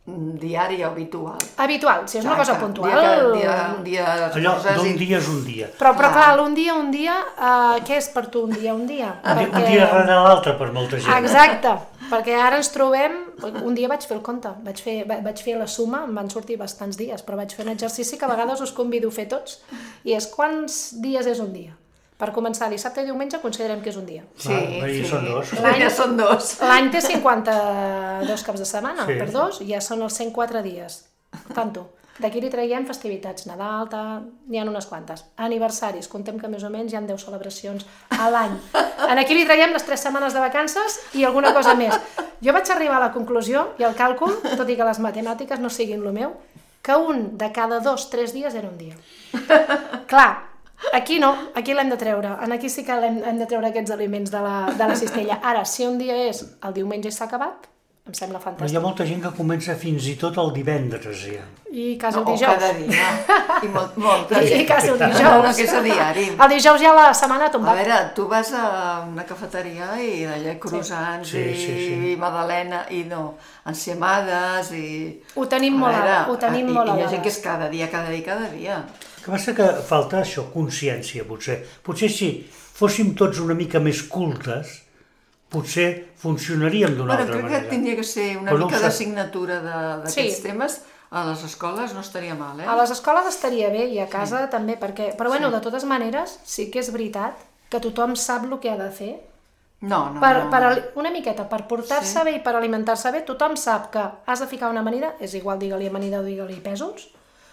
mm, diària o habitual. Habitual, si és una cosa Exacte. puntual... Dia, que, dia, un dia Allò esposes d'un i- dia és un dia. Però, però Clar. clar, un dia, un dia, uh, què és per tu un dia, un dia? Un dia- Un dia rere l'altre per molta gent. Exacte, perquè ara ens trobem... Un dia vaig fer el compte, vaig fer, va- vaig fer la suma, em van sortir bastants dies, però vaig fer un exercici que a vegades us convido a fer tots, i és quants dies és un dia? Per començar, dissabte i diumenge considerem que és un dia. Sí, Ah, ja sí. són dos. Ja són dos. L'any té cinquanta-dos caps de setmana, Sí. per dos, ja són els cent quatre dies. Tanto. D'aquí li traiem festivitats, Nadal, tal, n'hi ha unes quantes. Aniversaris, contem que més o menys hi ha deu celebracions a l'any. En aquí li traiem les tres setmanes de vacances i alguna cosa més. Jo vaig arribar a la conclusió i al càlcul, tot i que les matemàtiques no siguin el meu, que un de cada dos, tres dies era un dia. Clar, aquí no, aquí l'hem de treure. En aquí sí que l'hem hem de treure aquests aliments de la, de la cistella. Ara, si un dia és el diumenge i s'ha acabat, em sembla Però hi fantàstic. ha molta gent que comença fins i tot el divendres, ja. I quasi el O dijous. cada dia. I molt, molta I gent. quasi el No, no, dijous. que és a diari. El dijous ja la setmana ha A tombat. veure, tu vas a una cafeteria i allà croissants Sí, i, sí, sí. i magdalena i no, enciamades i... Ho tenim molt veure, a- ho tenim i, molt a i hi ha gent dades. que és cada dia, cada dia, cada dia. El que passa que falta això, consciència, potser. Potser si fóssim tots una mica més cultes, potser funcionaríem d'una Bueno, altra crec manera. que tindria que ser una Però no ho mica sé. d'assignatura de- d'aquests Sí. temes a les escoles, no estaria mal, eh? A les escoles estaria bé i a casa també, perquè... Però bueno, de totes maneres, sí que és veritat que tothom sap el que ha de fer. No, no, Per, no. per, ali- una miqueta, per portar-se Sí. bé i per alimentar-se bé, tothom sap que has de ficar una amanida, és igual, digue-li amanida o digue-li pèsols,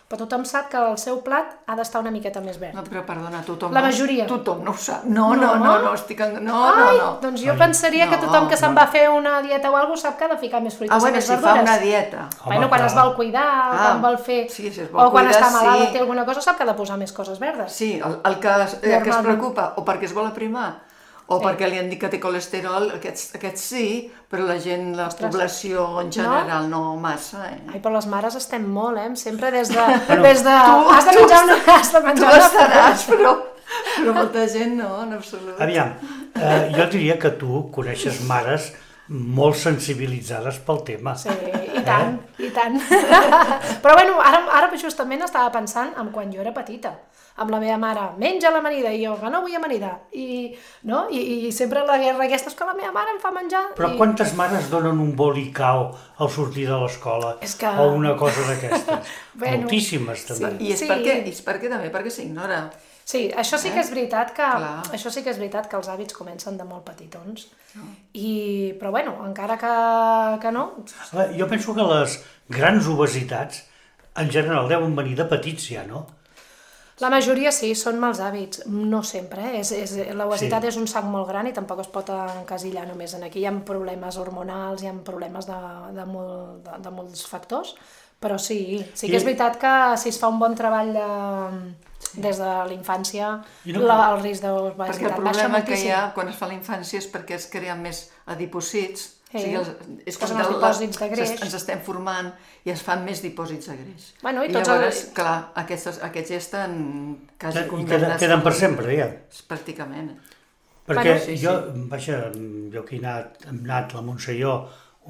però tothom sap que el seu plat ha d'estar una miqueta més verd. No, però perdona, tothom La no, majoria. tothom no ho sap. No, no, no, no, estic... En... No, Ai, no, no. doncs jo pensaria que no, tothom que se'n no. va fer una dieta o alguna cosa sap que ha de ficar més fruites Ah, i bueno, més si verdures. fa una dieta. Home, Bueno, quan clar. es vol cuidar, o Ah, quan vol fer... sí, si es vol o quan cuidar, està malalt sí. o té alguna cosa, sap que ha de posar més coses verdes. Sí, el, el que, es, eh, que es Normalment. preocupa o perquè es vol aprimar o Sí. perquè li han dit que té colesterol, aquests, aquests sí, però la gent, la Ostres. població en general no, massa, eh? Ai, però les mares estem molt, eh? Sempre des de... Bueno, des de tu- has de tu menjar una... Has de Tu menjar una estaràs, però, però molta gent no, en absolut. Aviam, eh, jo diria que tu coneixes mares molt sensibilitzades pel tema. Sí, i tant, eh? i tant. Però bueno, ara, ara justament estava pensant en quan jo era petita, amb la meva mare, menja l'amanida, i jo, que no vull amanida, i, no? I, i sempre la guerra aquesta és que la meva mare em fa menjar. Però i... quantes mares donen un bolicau al sortir de l'escola? És que- O una cosa d'aquestes? Bueno, Moltíssimes, també. I és, Sí. perquè, i és perquè també perquè s'ignora. Sí, això sí que és veritat que, Clar. això sí que és veritat que els hàbits comencen de molt petitons. I, però bueno, encara que, que no, Eh, Jo penso que les grans obesitats, en general, deuen venir de petits ja, no? la majoria sí, són mals hàbits, no sempre, eh? és, és, l'obesitat Sí. és un sac molt gran i tampoc es pot encasillar només en aquí, hi ha problemes hormonals, hi ha problemes de, de, molt, de, de molts factors, però sí, sí que I- és veritat que si es fa un bon treball de, des de la infància, I no- la, el risc Perquè el d'obesitat baixa problema que moltíssim. hi ha quan es fa la infància és perquè es creen més adipòsits. Sí. O sigui, els, és Que com són els que dipòsits de greix. Ens estem formant i es fan més dipòsits de greix. Bueno, i I tots llavors, els- clar, aquests, aquests ja estan quasi I queden, condemnats. queden per sempre, ja. Pràcticament. Perquè Bueno, sí, jo, vaja, jo que he anat, hem anat a la Montselló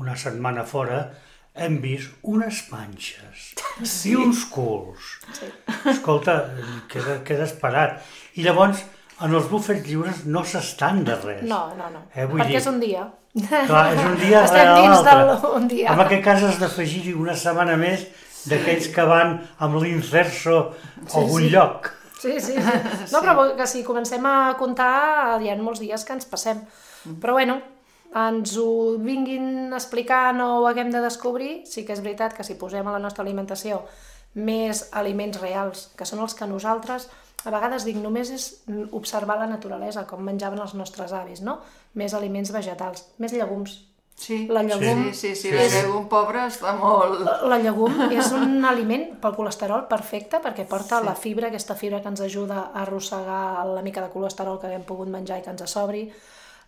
una setmana fora, hem vist unes panxes sí. i uns culs. Sí. Escolta, queda, queda esperat. I llavors, en els bufets lliures no s'estan de res. No, no, no, Eh, vull perquè dir- és un dia. Clar, és un dia Estem rere dins l'altre. d'un dia. En aquest cas has d'afegir-hi una setmana més d'aquells que van amb l'inserso a algun sí. lloc. lloc. Sí, sí, sí. No, però que si comencem a comptar, hi ha molts dies que ens passem. Però bueno, ens ho vinguin explicant o ho haguem de descobrir, sí que és veritat que si posem a la nostra alimentació més aliments reals, que són els que nosaltres, a vegades dic, només és observar la naturalesa, com menjaven els nostres avis, no? Més aliments vegetals, més llegums. Sí, La llegum, sí, sí, sí, la llegum pobra està molt... La llegum és un aliment pel colesterol perfecte perquè porta la fibra, aquesta fibra que ens ajuda a arrossegar la mica de colesterol que haguem pogut menjar i que ens sobri.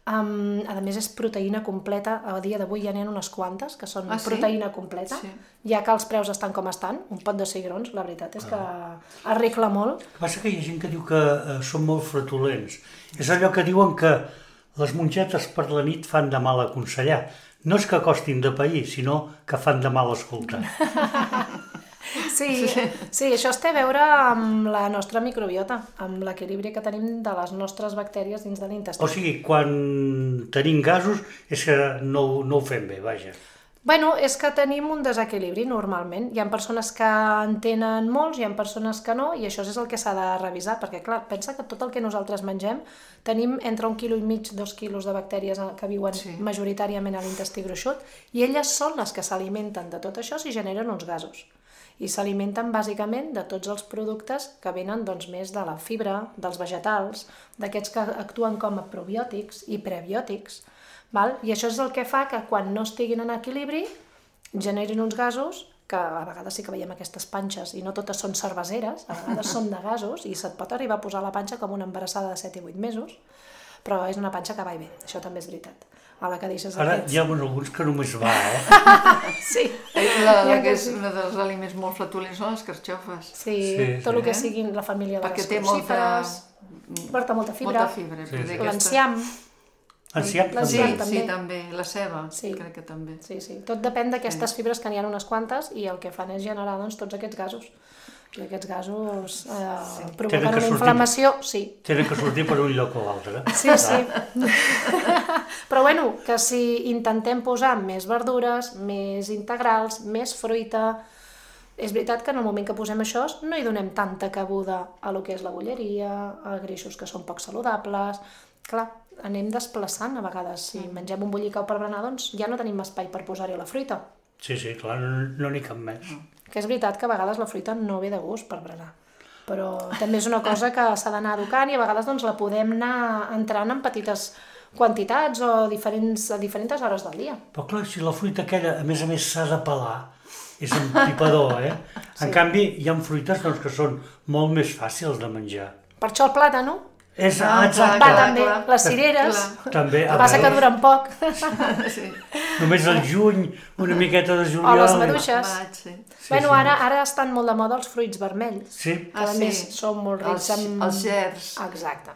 Um, a més és proteïna completa, a dia d'avui ja n'hi ha unes quantes que són ah, sí? proteïna completa, sí. Ja que els preus estan com estan, un pot de cigrons, la veritat és que ah. arregla molt. El que passa que hi ha gent que diu que eh, són molt flatulents. És allò que diuen que les mongetes per la nit fan de mal aconsellar. No és que costin de pair, sinó que fan de mal escoltar. Sí, sí, això es té a veure amb la nostra microbiota, amb l'equilibri que tenim de les nostres bactèries dins de l'intestí. O sigui, quan tenim gasos és que no, no ho fem bé, vaja. Bueno, és que tenim un desequilibri normalment. Hi ha persones que en tenen molts, hi ha persones que no, i això és el que s'ha de revisar, perquè clar, pensa que tot el que nosaltres mengem tenim entre un quilo i mig, dos quilos de bactèries que viuen sí. majoritàriament a l'intestí gruixut, i elles són les que s'alimenten de tot això si generen uns gasos. I s'alimenten bàsicament de tots els productes que venen doncs, més de la fibra, dels vegetals, d'aquests que actuen com a probiòtics i prebiòtics. Val? I això és el que fa que quan no estiguin en equilibri generin uns gasos, que a vegades sí que veiem aquestes panxes i no totes són cerveseres, a vegades són de gasos i se't pot arribar a posar la panxa com una embarassada de set i vuit mesos, però és una panxa que va i ve, això també és veritat. A la que deixes Ara aquests... hi ha alguns que només va, eh? Sí. La, la que és una dels aliments molt flatulents són les carxofes. Sí, sí tot sí. el que sigui la família de perquè les crucíferes. Molta... Porta molta fibra. Molta fibra. Sí, sí. L'enciam. Enciam Sí, L'enciam també. sí, també. també. La ceba, Sí. crec que també. Sí, sí. Tot depèn d'aquestes fibres que n'hi ha unes quantes i el que fan és generar doncs, tots aquests gasos. I aquests gasos eh, sí. provoquen una sortir... inflamació, sí. Tenen que sortir per un lloc o l'altre. Sí, sí. Però bueno, que si intentem posar més verdures, més integrals, més fruita, és veritat que en el moment que posem això no hi donem tanta cabuda a lo que és la bolleria, a greixos que són poc saludables. Clar, anem desplaçant a vegades. Si mengem un bollicau per berenar, doncs ja no tenim espai per posar-hi la fruita. Sí, sí, clar, no n'hi no cap més. Que és veritat que a vegades la fruita no ve de gust per berenar, però també és una cosa que s'ha d'anar educant i a vegades doncs, la podem anar entrant en petites quantitats o diferents, a diferents hores del dia. Però clar, si la fruita aquella, a més a més, s'ha de pelar, és empipador, eh? En Sí. canvi, hi ha fruites doncs, que són molt més fàcils de menjar. Per això el plàtan, És, Ah, exacte. va clar, també, clar. les cireres, Clar. També, el a que passa que veure, duren poc, Sí. només al juny, una miqueta de juliol. o les i- maduixes. Maig, sí. Sí, Bueno, sí. ara, ara estan molt de moda els fruits vermells, Sí, que a Ah, més sí. són molt rics Els- en... els gerds. Exacte.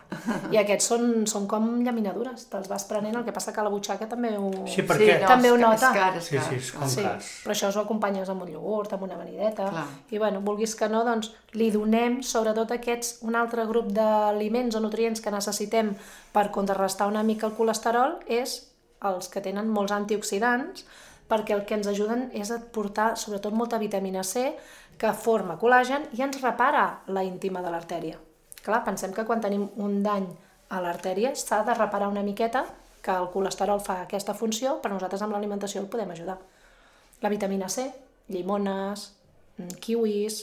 I aquests són, són com llaminadures, te'ls vas prenent, el que passa que la butxaca també ho, Sí, perquè- Sí, no, també ho és ca- nota. És car, és sí, car. sí, és com Sí, cas. però això ho acompanyes amb un iogurt, amb una amanideta, Clar. i bueno, vulguis que no, doncs li donem sobretot aquests, un altre grup d'aliments o nutrients que necessitem per contrarrestar una mica el colesterol és els que tenen molts antioxidants, perquè el que ens ajuden és a portar sobretot molta vitamina C que forma col·làgen i ens repara la íntima de l'artèria. Clar, pensem que quan tenim un dany a l'artèria s'ha de reparar una miqueta, que el colesterol fa aquesta funció, però nosaltres amb l'alimentació el podem ajudar. La vitamina C, llimones, kiwis,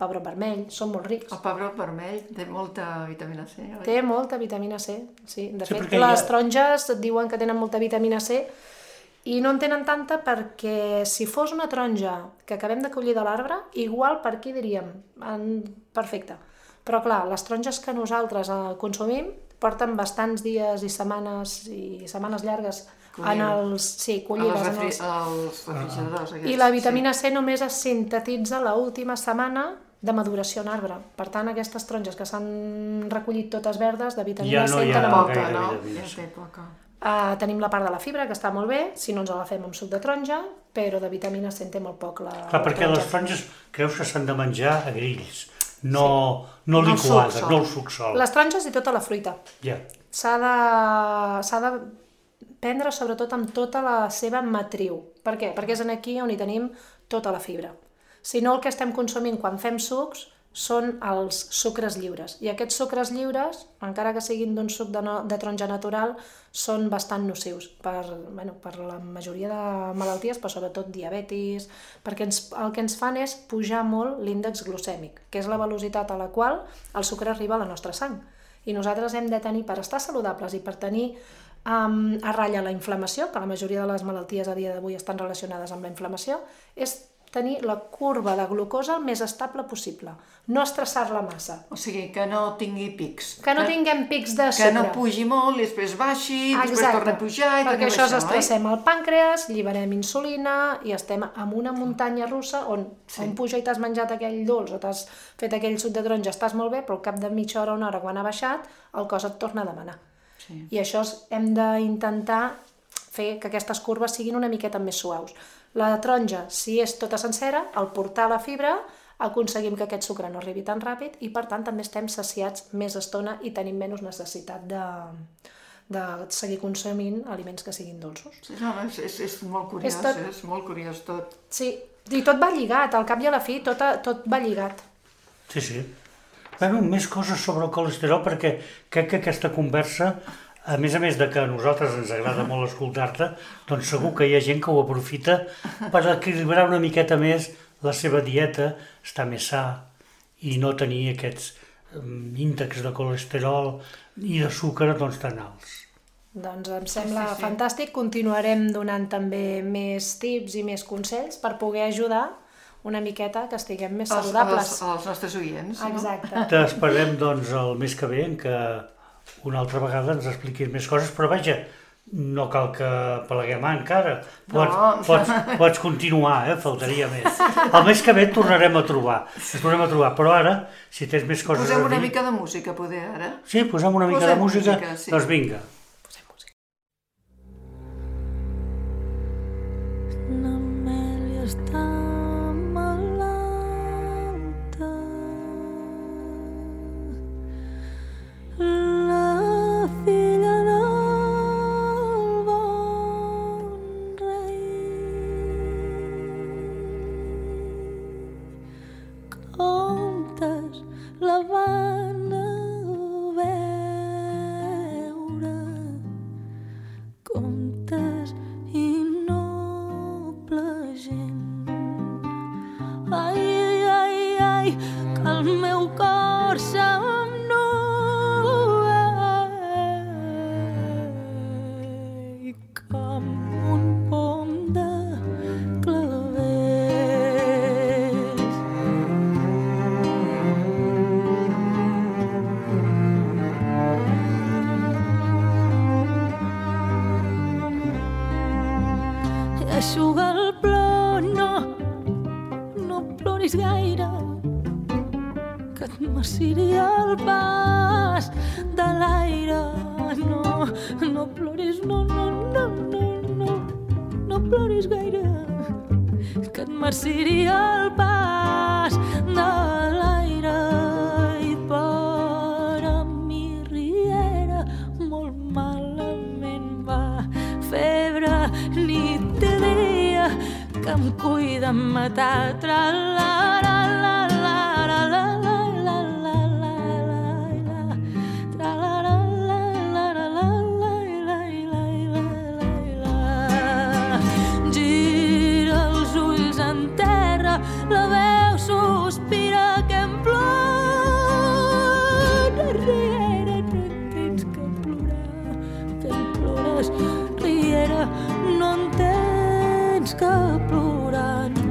pebrot vermell, són molt rics. El pebrot vermell té molta vitamina C, oi? Té molta vitamina C, sí. De Sí, fet, perquè les hi ha- taronges et diuen que tenen molta vitamina C i no en tenen tanta perquè si fos una taronja que acabem de collir de l'arbre, igual per aquí diríem, en... perfecte. Però clar, les taronges que nosaltres eh, consumim porten bastants dies i setmanes i setmanes llargues en els... Sí, A collides. les En refri... els... als refrigeradors aquests. I la vitamina C només es sintetitza l'última setmana de maduració en arbre. Per tant, aquestes taronges que s'han recollit totes verdes, de vitamina Ja no C hi en ha tenen Poca, gaire no? vitamina Ja C. té poca. Uh, tenim la part de la fibra, que està molt bé, si no ens la fem amb suc de taronja, però de vitamina C en té molt poc la, Clar, la perquè les taronges creus que s'han de menjar a grills, no, no No el liquades, suc sol. no el suc sol. Les taronges i tota la fruita. Ja. S'ha de, s'ha de prendre sobretot amb tota la seva matriu. Per què? Perquè és en aquí on hi tenim tota la fibra. Si no, el que estem consumint quan fem sucs són els sucres lliures. I aquests sucres lliures, encara que siguin d'un suc de, no, de taronja natural, són bastant nocius per, bueno, per la majoria de malalties, però sobretot diabetis, perquè ens, el que ens fan és pujar molt l'índex glucèmic, que és la velocitat a la qual el sucre arriba a la nostra sang. I nosaltres hem de tenir, per estar saludables i per tenir um, a ratlla la inflamació, que la majoria de les malalties a dia d'avui estan relacionades amb la inflamació, és tenir la curva de glucosa el més estable possible, no estressar-la massa. O sigui, que no tingui pics. Que no tinguem pics de sucre. Que no pugi molt i després baixi, i després torna a pujar i perquè això això, estressem el pàncreas, lliberem insulina i estem en una muntanya russa on, sí. on puja i t'has menjat aquell dolç o t'has fet aquell suc de taronja, estàs molt bé, però al cap de mitja hora o una hora quan ha baixat, el cos et torna a demanar. Sí. I això hem d'intentar fer que aquestes curves siguin una miqueta més suaus. La taronja, si és tota sencera, al portar la fibra aconseguim que aquest sucre no arribi tan ràpid i per tant també estem saciats més estona i tenim menys necessitat de, de seguir consumint aliments que siguin dolços. Sí, no, és, és, és molt curiós, és, tot... és molt curiós tot. Sí, i tot va lligat, al cap i a la fi tot, tot va lligat. Sí, sí. Bueno, més coses sobre el colesterol perquè crec que aquesta conversa, a més a més de que a nosaltres ens agrada molt escoltar-te, doncs segur que hi ha gent que ho aprofita per equilibrar una miqueta més la seva dieta, estar més sa i no tenir aquests índexs de colesterol i de sucre doncs, tan alts. Doncs em sembla sí, sí, sí. fantàstic. Continuarem donant també més tips i més consells per poder ajudar una miqueta que estiguem més saludables. Els, els, els nostres oients. Exacte. No? T'esperem doncs, el mes que ve en què una altra vegada ens expliquis més coses, però vaja, no cal que peleguem encara. Pots, no. pots, pots continuar, eh? Faltaria més. El mes que ve et tornarem a trobar, et tornarem a trobar, però ara, si tens més coses posem a dir... Posem una mica de música, poder, ara? Sí, posem una mica posem de música, música sí. Doncs vinga. Posem música. L'Amèlia està la filla del bon rei. Comptes la van a veure, comptes i noble gent. Ai, ai, ai, que el meu cor se'm eixuga el plor, no, no ploris gaire, que et maciria el pas de l'aire. No, no ploris, no, no, no, no, no, no ploris gaire, que et maciria el pas de l'aire. I per a mi riera molt malament va, febre nit i dia que em cuida em matar. Tra-la-la, la, la, la, la, la, la, la, la, la, tra-la-la, la, la, la, la, la, la, la, la. Gira els ulls en terra, la veu sospira que em plora. Riera, no tens que plorar, que em plores. Riera, no en tens que plorar, no.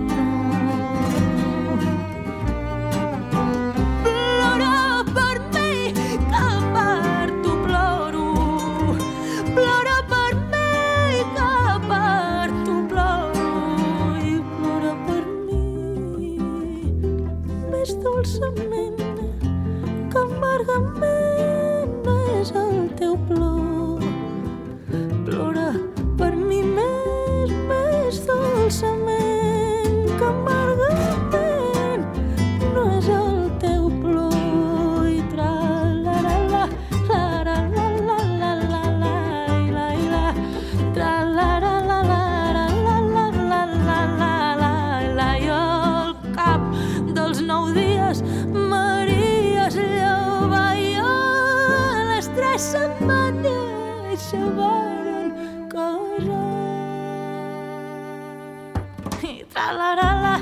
se varen casar. I tra-la-la-la,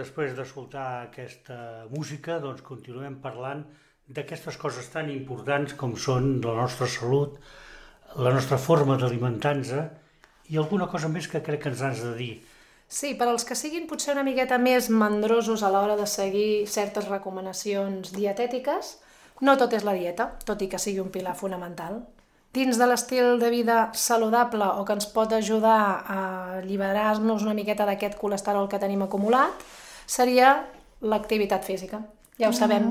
després d'escoltar aquesta música, doncs continuem parlant d'aquestes coses tan importants com són la nostra salut, la nostra forma d'alimentar-nos i alguna cosa més que crec que ens has de dir. Sí, per als que siguin potser una miqueta més mandrosos a l'hora de seguir certes recomanacions dietètiques, no tot és la dieta, tot i que sigui un pilar fonamental. Dins de l'estil de vida saludable o que ens pot ajudar a alliberar-nos una miqueta d'aquest colesterol que tenim acumulat, seria l'activitat física. Ja ho sabem.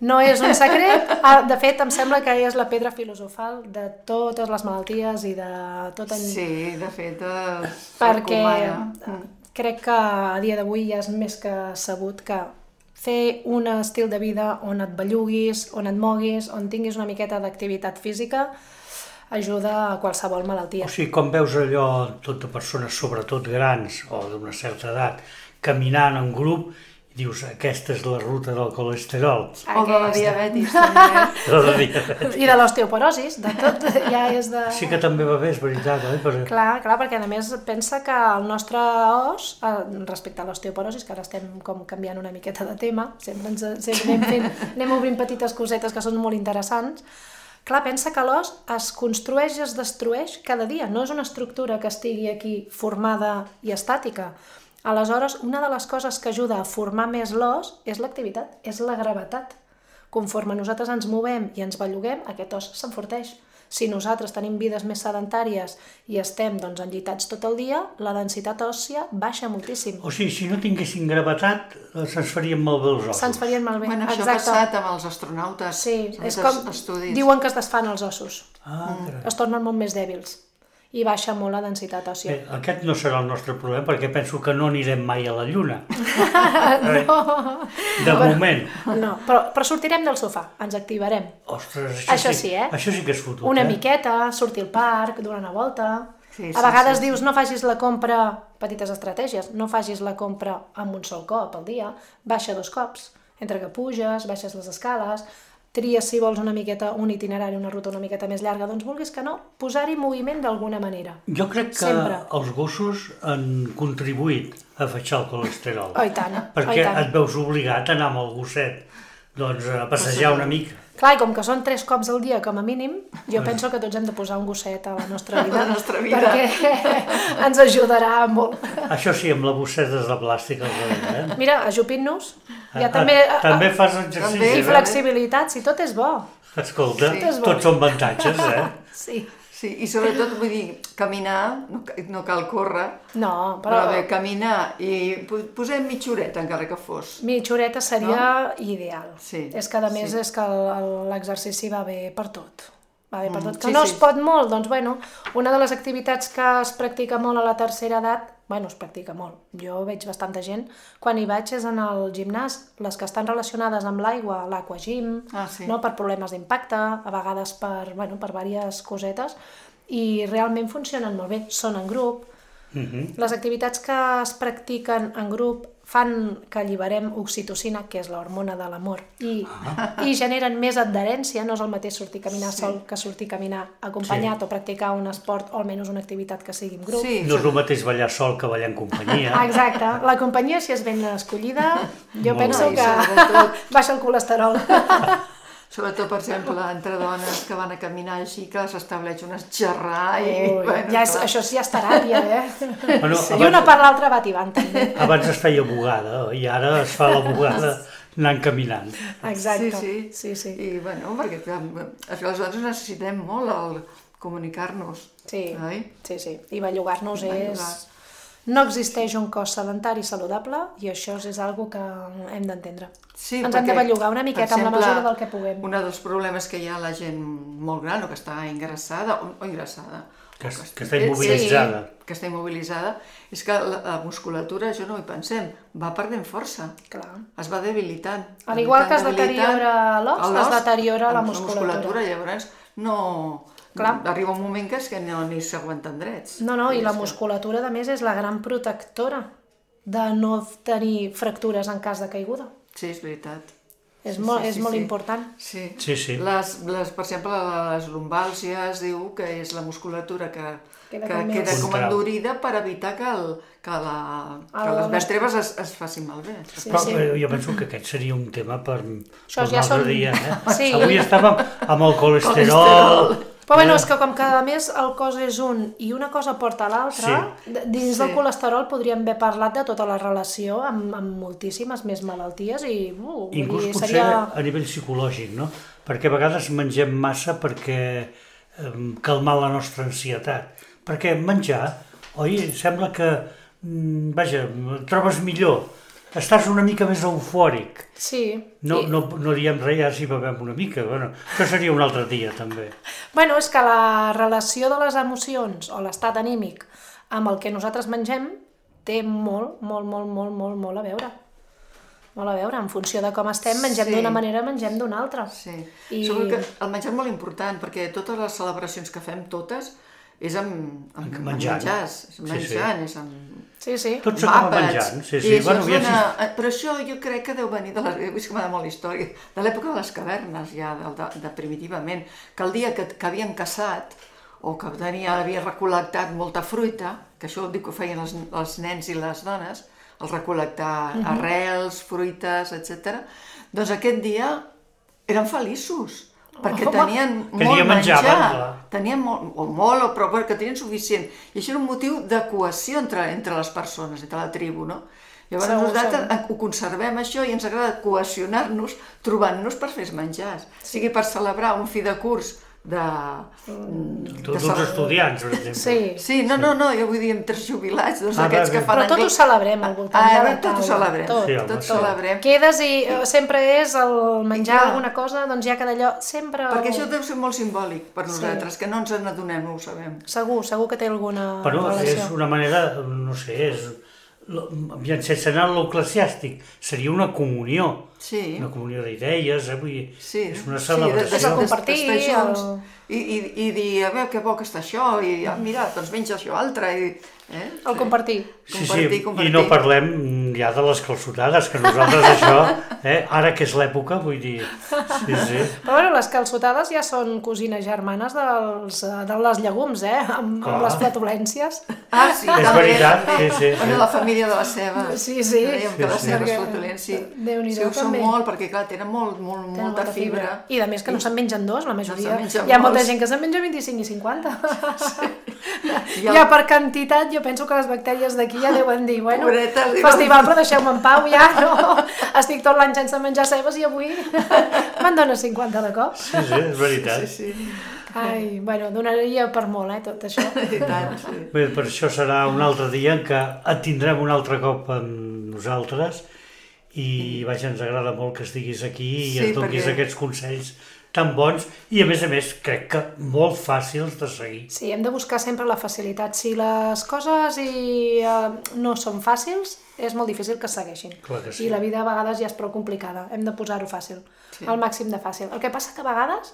No és un secret. De fet, em sembla que és la pedra filosofal de totes les malalties i de tot... En... Sí, de fet, es perquè recomana. Crec que a dia d'avui ja és més que sabut que fer un estil de vida on et belluguis, on et moguis, on tinguis una miqueta d'activitat física, ajuda a qualsevol malaltia. O sigui, com veus allò, tot de persones, sobretot grans o d'una certa edat, caminant en grup, i dius, aquesta és la ruta del colesterol. O de la diabetis, també. De la diabetis. I de l'osteoporosis, de tot, ja és de... Sí que també va bé, és veritat, oi? Per... Clar, clar, perquè a més pensa que el nostre os, respecte a l'osteoporosis, que ara estem com canviant una miqueta de tema, sempre, ens, sempre anem, fent, anem obrint petites cosetes que són molt interessants, clar, pensa que l'os es construeix i es destrueix cada dia, no és una estructura que estigui aquí formada i estàtica. Aleshores, una de les coses que ajuda a formar més l'os és l'activitat, és la gravetat. Conforme nosaltres ens movem i ens belluguem, aquest os s'enforteix. Si nosaltres tenim vides més sedentàries i estem doncs, enllitats tot el dia, la densitat òssia baixa moltíssim. O sigui, si no tinguessin gravetat, se'ns farien malbé els ossos. Se'ns farien malbé, bueno, això exacte. ha passat amb els astronautes. Sí, és com estudis. Diuen que es desfan els ossos, Ah, carai. es tornen molt més dèbils i baixa molt la densitat òssia. Bé, aquest no serà el nostre problema, perquè penso que no anirem mai a la Lluna. No. De moment. No, però, però sortirem del sofà, ens activarem. Ostres, això, Això sí, sí, eh? Això sí que és fotut, Una eh? miqueta, sortir al parc, donar una volta... Sí, sí, a vegades sí, sí. dius, no facis la compra, petites estratègies, no facis la compra amb un sol cop al dia, baixa dos cops, entre que puges, baixes les escales, tries si vols una miqueta un itinerari, una ruta una miqueta més llarga, doncs vulguis que no, posar-hi moviment d'alguna manera. Jo crec que Sempre. els gossos han contribuït a baixar el colesterol. Oh, i tant, perquè oh, i tant. et veus obligat a anar amb el gosset doncs, a passejar una mica. Clar, i com que són tres cops al dia com a mínim, jo penso que tots hem de posar un gosset a la nostra vida, A la nostra vida. perquè ens ajudarà molt. Això sí, amb la bossetes de plàstic al darrere, eh? Mira, ajupint-nos, ja Ah, també... també fas exercici, També, I eh? flexibilitat, si tot és bo. Escolta, Sí. sí. tots són avantatges, eh? Sí. Sí, i sobretot, vull dir, caminar, no, ca- no cal córrer, No, però però bé, caminar i po- posem mitja horeta, encara que fos. mitjoreta seria ideal. Sí, És que a més sí. és que el- el- l'exercici va bé per tot. Va bé per tot. Que sí, no sí. es pot molt, doncs bueno, una de les activitats que es practica molt a la tercera edat, bueno, es practica molt, jo veig bastanta gent, quan hi vaig és en el gimnàs, les que estan relacionades amb l'aigua, l'aquagym, Ah, sí. no? Per problemes d'impacte, a vegades per, bueno, per diverses cosetes, i realment funcionen molt bé, són en grup. Uh-huh. Les activitats que es practiquen en grup fan que alliberem oxitocina, que és l'hormona de l'amor, i, i generen més adherència. No és el mateix sortir a caminar Sí. sol que sortir a caminar acompanyat o practicar un esport o almenys una activitat que sigui en grup. Sí, No és el mateix ballar sol que ballar en companyia. Exacte. La companyia, si és ben escollida, jo Molt penso bé. I que sobretot- baixa el colesterol. Sobretot, per exemple, entre dones que van a caminar així, que s'estableix un xerrar i... Ui, bueno, ja és, clar. això sí ja és teràpia, eh? Bueno, I una per l'altra va tibant, també. Abans es feia bugada i ara es fa la bugada anant caminant. Exacte. Sí, sí. sí, sí. I, bueno, perquè clar, és que aleshores necessitem molt el comunicar-nos. Sí, Oi? sí, sí. I bellugar-nos és... Bellugar. No existeix un cos sedentari saludable i això és algo que hem d'entendre. Sí, Ens perquè, hem de bellugar una miqueta per exemple, amb la mesura del que puguem. Un dels problemes que hi ha a la gent molt gran o que està ingressada, o, o ingressada, Que, o que està immobilitzada. Sí, que està immobilitzada, és que la, la musculatura, això no hi pensem, va perdent força. Clar. Es va debilitant. Al igual que es debilitant, deteriora l'os, l'os, es deteriora la amb musculatura. musculatura. Llavors, no... Clar. Arriba un moment que és que no, ni s'aguanten drets. No, no, i la És que- musculatura, a més, és la gran protectora de no tenir fractures en cas de caiguda. Sí, és veritat. És Sí, molt, sí, és sí, molt sí. important. Sí. Sí, sí. Les, les, per exemple, les lumbàlgies diu que és la musculatura que Queda que com més- queda com Contrau. endurida per evitar que, el, que, la, que El- les vèrtebres es, es facin malbé. Sí, Però sí. eh, jo penso que aquest seria un tema per, Això per un ja altre són- dia. Eh? Sí. Avui estàvem amb el colesterol. Colesterol. Però bueno, eh? és que com que a més el cos és un i una cosa porta a l'altra, d- dins Sí. del colesterol podríem haver parlat de tota la relació amb, amb moltíssimes més malalties i uh, vull Inclús dir, potser seria... a nivell psicològic, no? Perquè a vegades mengem massa perquè eh, calmar la nostra ansietat. Perquè menjar, oi, sembla que, mm, vaja, et trobes millor, estàs una mica més eufòric. Sí. No, I- no, no diem res ja si bevem una mica, bueno, això seria un altre dia també. Bueno, és que la relació de les emocions o l'estat anímic amb el que nosaltres mengem té molt, molt, molt, molt, molt, molt a veure. Molt a veure, en funció de com estem, mengem Sí. d'una manera, mengem d'una altra. Sí. I- Segur que el menjar és molt important, perquè totes les celebracions que fem, totes, és amb, amb, amb Menjant. menjars, és Sí, menjant, sí. és amb... Sí, sí. Tot s'acaba àpats. menjant, sí, I sí. això Bueno, és ja una... Però això jo crec que deu venir de les... És que m'ha molt història. De l'època de les cavernes, ja, de, de, de primitivament, que el dia que, que havien caçat o que tenia, havia recol·lectat molta fruita, que això dic que ho feien els, els nens i les dones, el recol·lectar Mhm. arrels, fruites, etcètera, doncs aquest dia eren feliços, perquè Home. tenien Que molt dia menjaven, menjar, clar. tenien molt, o molt, o però que tenien suficient. I això era un motiu de cohesió entre, entre les persones, entre la tribu, no? Llavors Segur, nosaltres segur. ho conservem això i ens agrada cohesionar-nos trobant-nos per fer menjars. Sigui per celebrar un fi de curs de... de Tots cele- els estudiants, per exemple. Sí. Sí, no, no, no, jo vull dir amb tres jubilats, doncs Ah, aquests bé, que bé. fan Però tot ho anglès. celebrem al voltant Ah, de la bé, tot ho taula. celebrem, Tot. Sí, home, tot sí. celebrem. Quedes i eh, sempre és el menjar I clar. alguna cosa, doncs ja que d'allò sempre... Perquè això deu ser molt simbòlic per nosaltres, que no ens n'adonem, no ho sabem. Segur, segur que té alguna Però relació. és una manera, no sé, és... Aviam, sense anar a l'eclesiàstic, seria una comunió. Sí. Una comunió d'idees, eh? Vull dir, Sí, és una sí, celebració. És el compartir, d'estar junts, el- i, i, i dir, a veure, que bo que està això, i ah, mira, doncs menja això altre, i... Eh? El compartir. Sí, Compartir, sí, compartir. i no parlem ja de les calçotades, que nosaltres això, eh, ara que és l'època, vull dir, sí, sí. Però bueno, les calçotades ja són cosines germanes dels, eh, de les llegums, eh? Amb, Clar. amb les flatulències. Ah, sí, És també, veritat, també. sí, sí, sí. Bueno, la família de la ceba. Sí, sí. Dèiem que Sí, les sí. cebes Perquè- flatulents, sí. Déu-n'hi-do, Sí, ho són també. molt, perquè clar, tenen molt, molt, Tenen molta fibra. I a més que no se'n mengen dos, la majoria. se'n mengen Hi ha molta molts. gent que se'n menja vint-i-cinc i cinquanta. I el- Ja per quantitat, jo penso que les bactèries d'aquí ja deuen dir, bueno, Pobretes, diuen- festival, però deixeu-me en pau, ja, no? Estic tot l'any sense menjar cebes i avui me'n dones cinquanta de cop. Sí, sí, és veritat. Sí, sí, Ai, bueno, donaria per molt, eh, tot això. i tant, sí. Bé, per això serà un altre dia en què et tindrem un altre cop amb nosaltres i, vaja, ens agrada molt que estiguis aquí i Sí, ens donis perquè- aquests consells tan bons i, a més a més, crec que molt fàcils de seguir. Sí, hem de buscar sempre la facilitat. Si les coses i, eh, no són fàcils, és molt difícil que es segueixin. Clar que sí. I la vida a vegades ja és prou complicada. Hem de posar-ho fàcil, Sí. al màxim de fàcil. El que passa que a vegades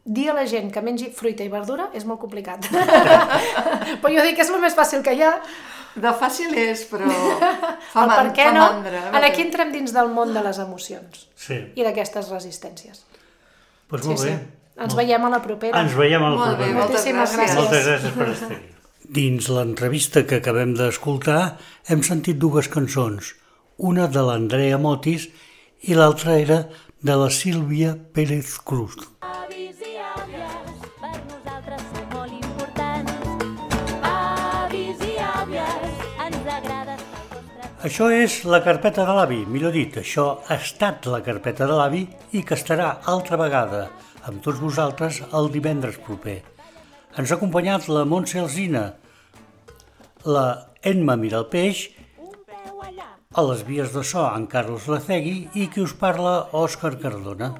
dir a la gent que mengi fruita i verdura és molt complicat. Però jo dic que és el més fàcil que hi ha. De fàcil és, però fa, El man, per què fa no? mandra. En aquí entrem dins del món de les emocions Sí, i d'aquestes resistències. doncs Sí, molt sí. bé. Ens Molt- veiem a la propera. Ens veiem al Molt bé, proper. moltes Moltíssimes gràcies. Moltes gràcies per estar-hi. Dins l'entrevista que acabem d'escoltar hem sentit dues cançons, una de l'Andrea Motis i l'altra era de la Sílvia Pérez Cruz. Avis i àvies, per nosaltres són molt importants. Avis i àvies, ens agrada el vostre... Això és la carpeta de l'avi, millor dit, això ha estat la carpeta de l'avi i que estarà altra vegada amb tots vosaltres el divendres proper. Ens ha acompanyat la Montse Alsina, la Emma Mira el Peix, a les vies de so en Carlos Lacegui i qui us parla, Òscar Cardona.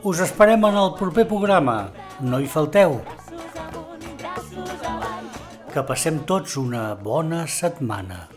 Us esperem en el proper programa, no hi falteu. Que passem tots una bona setmana.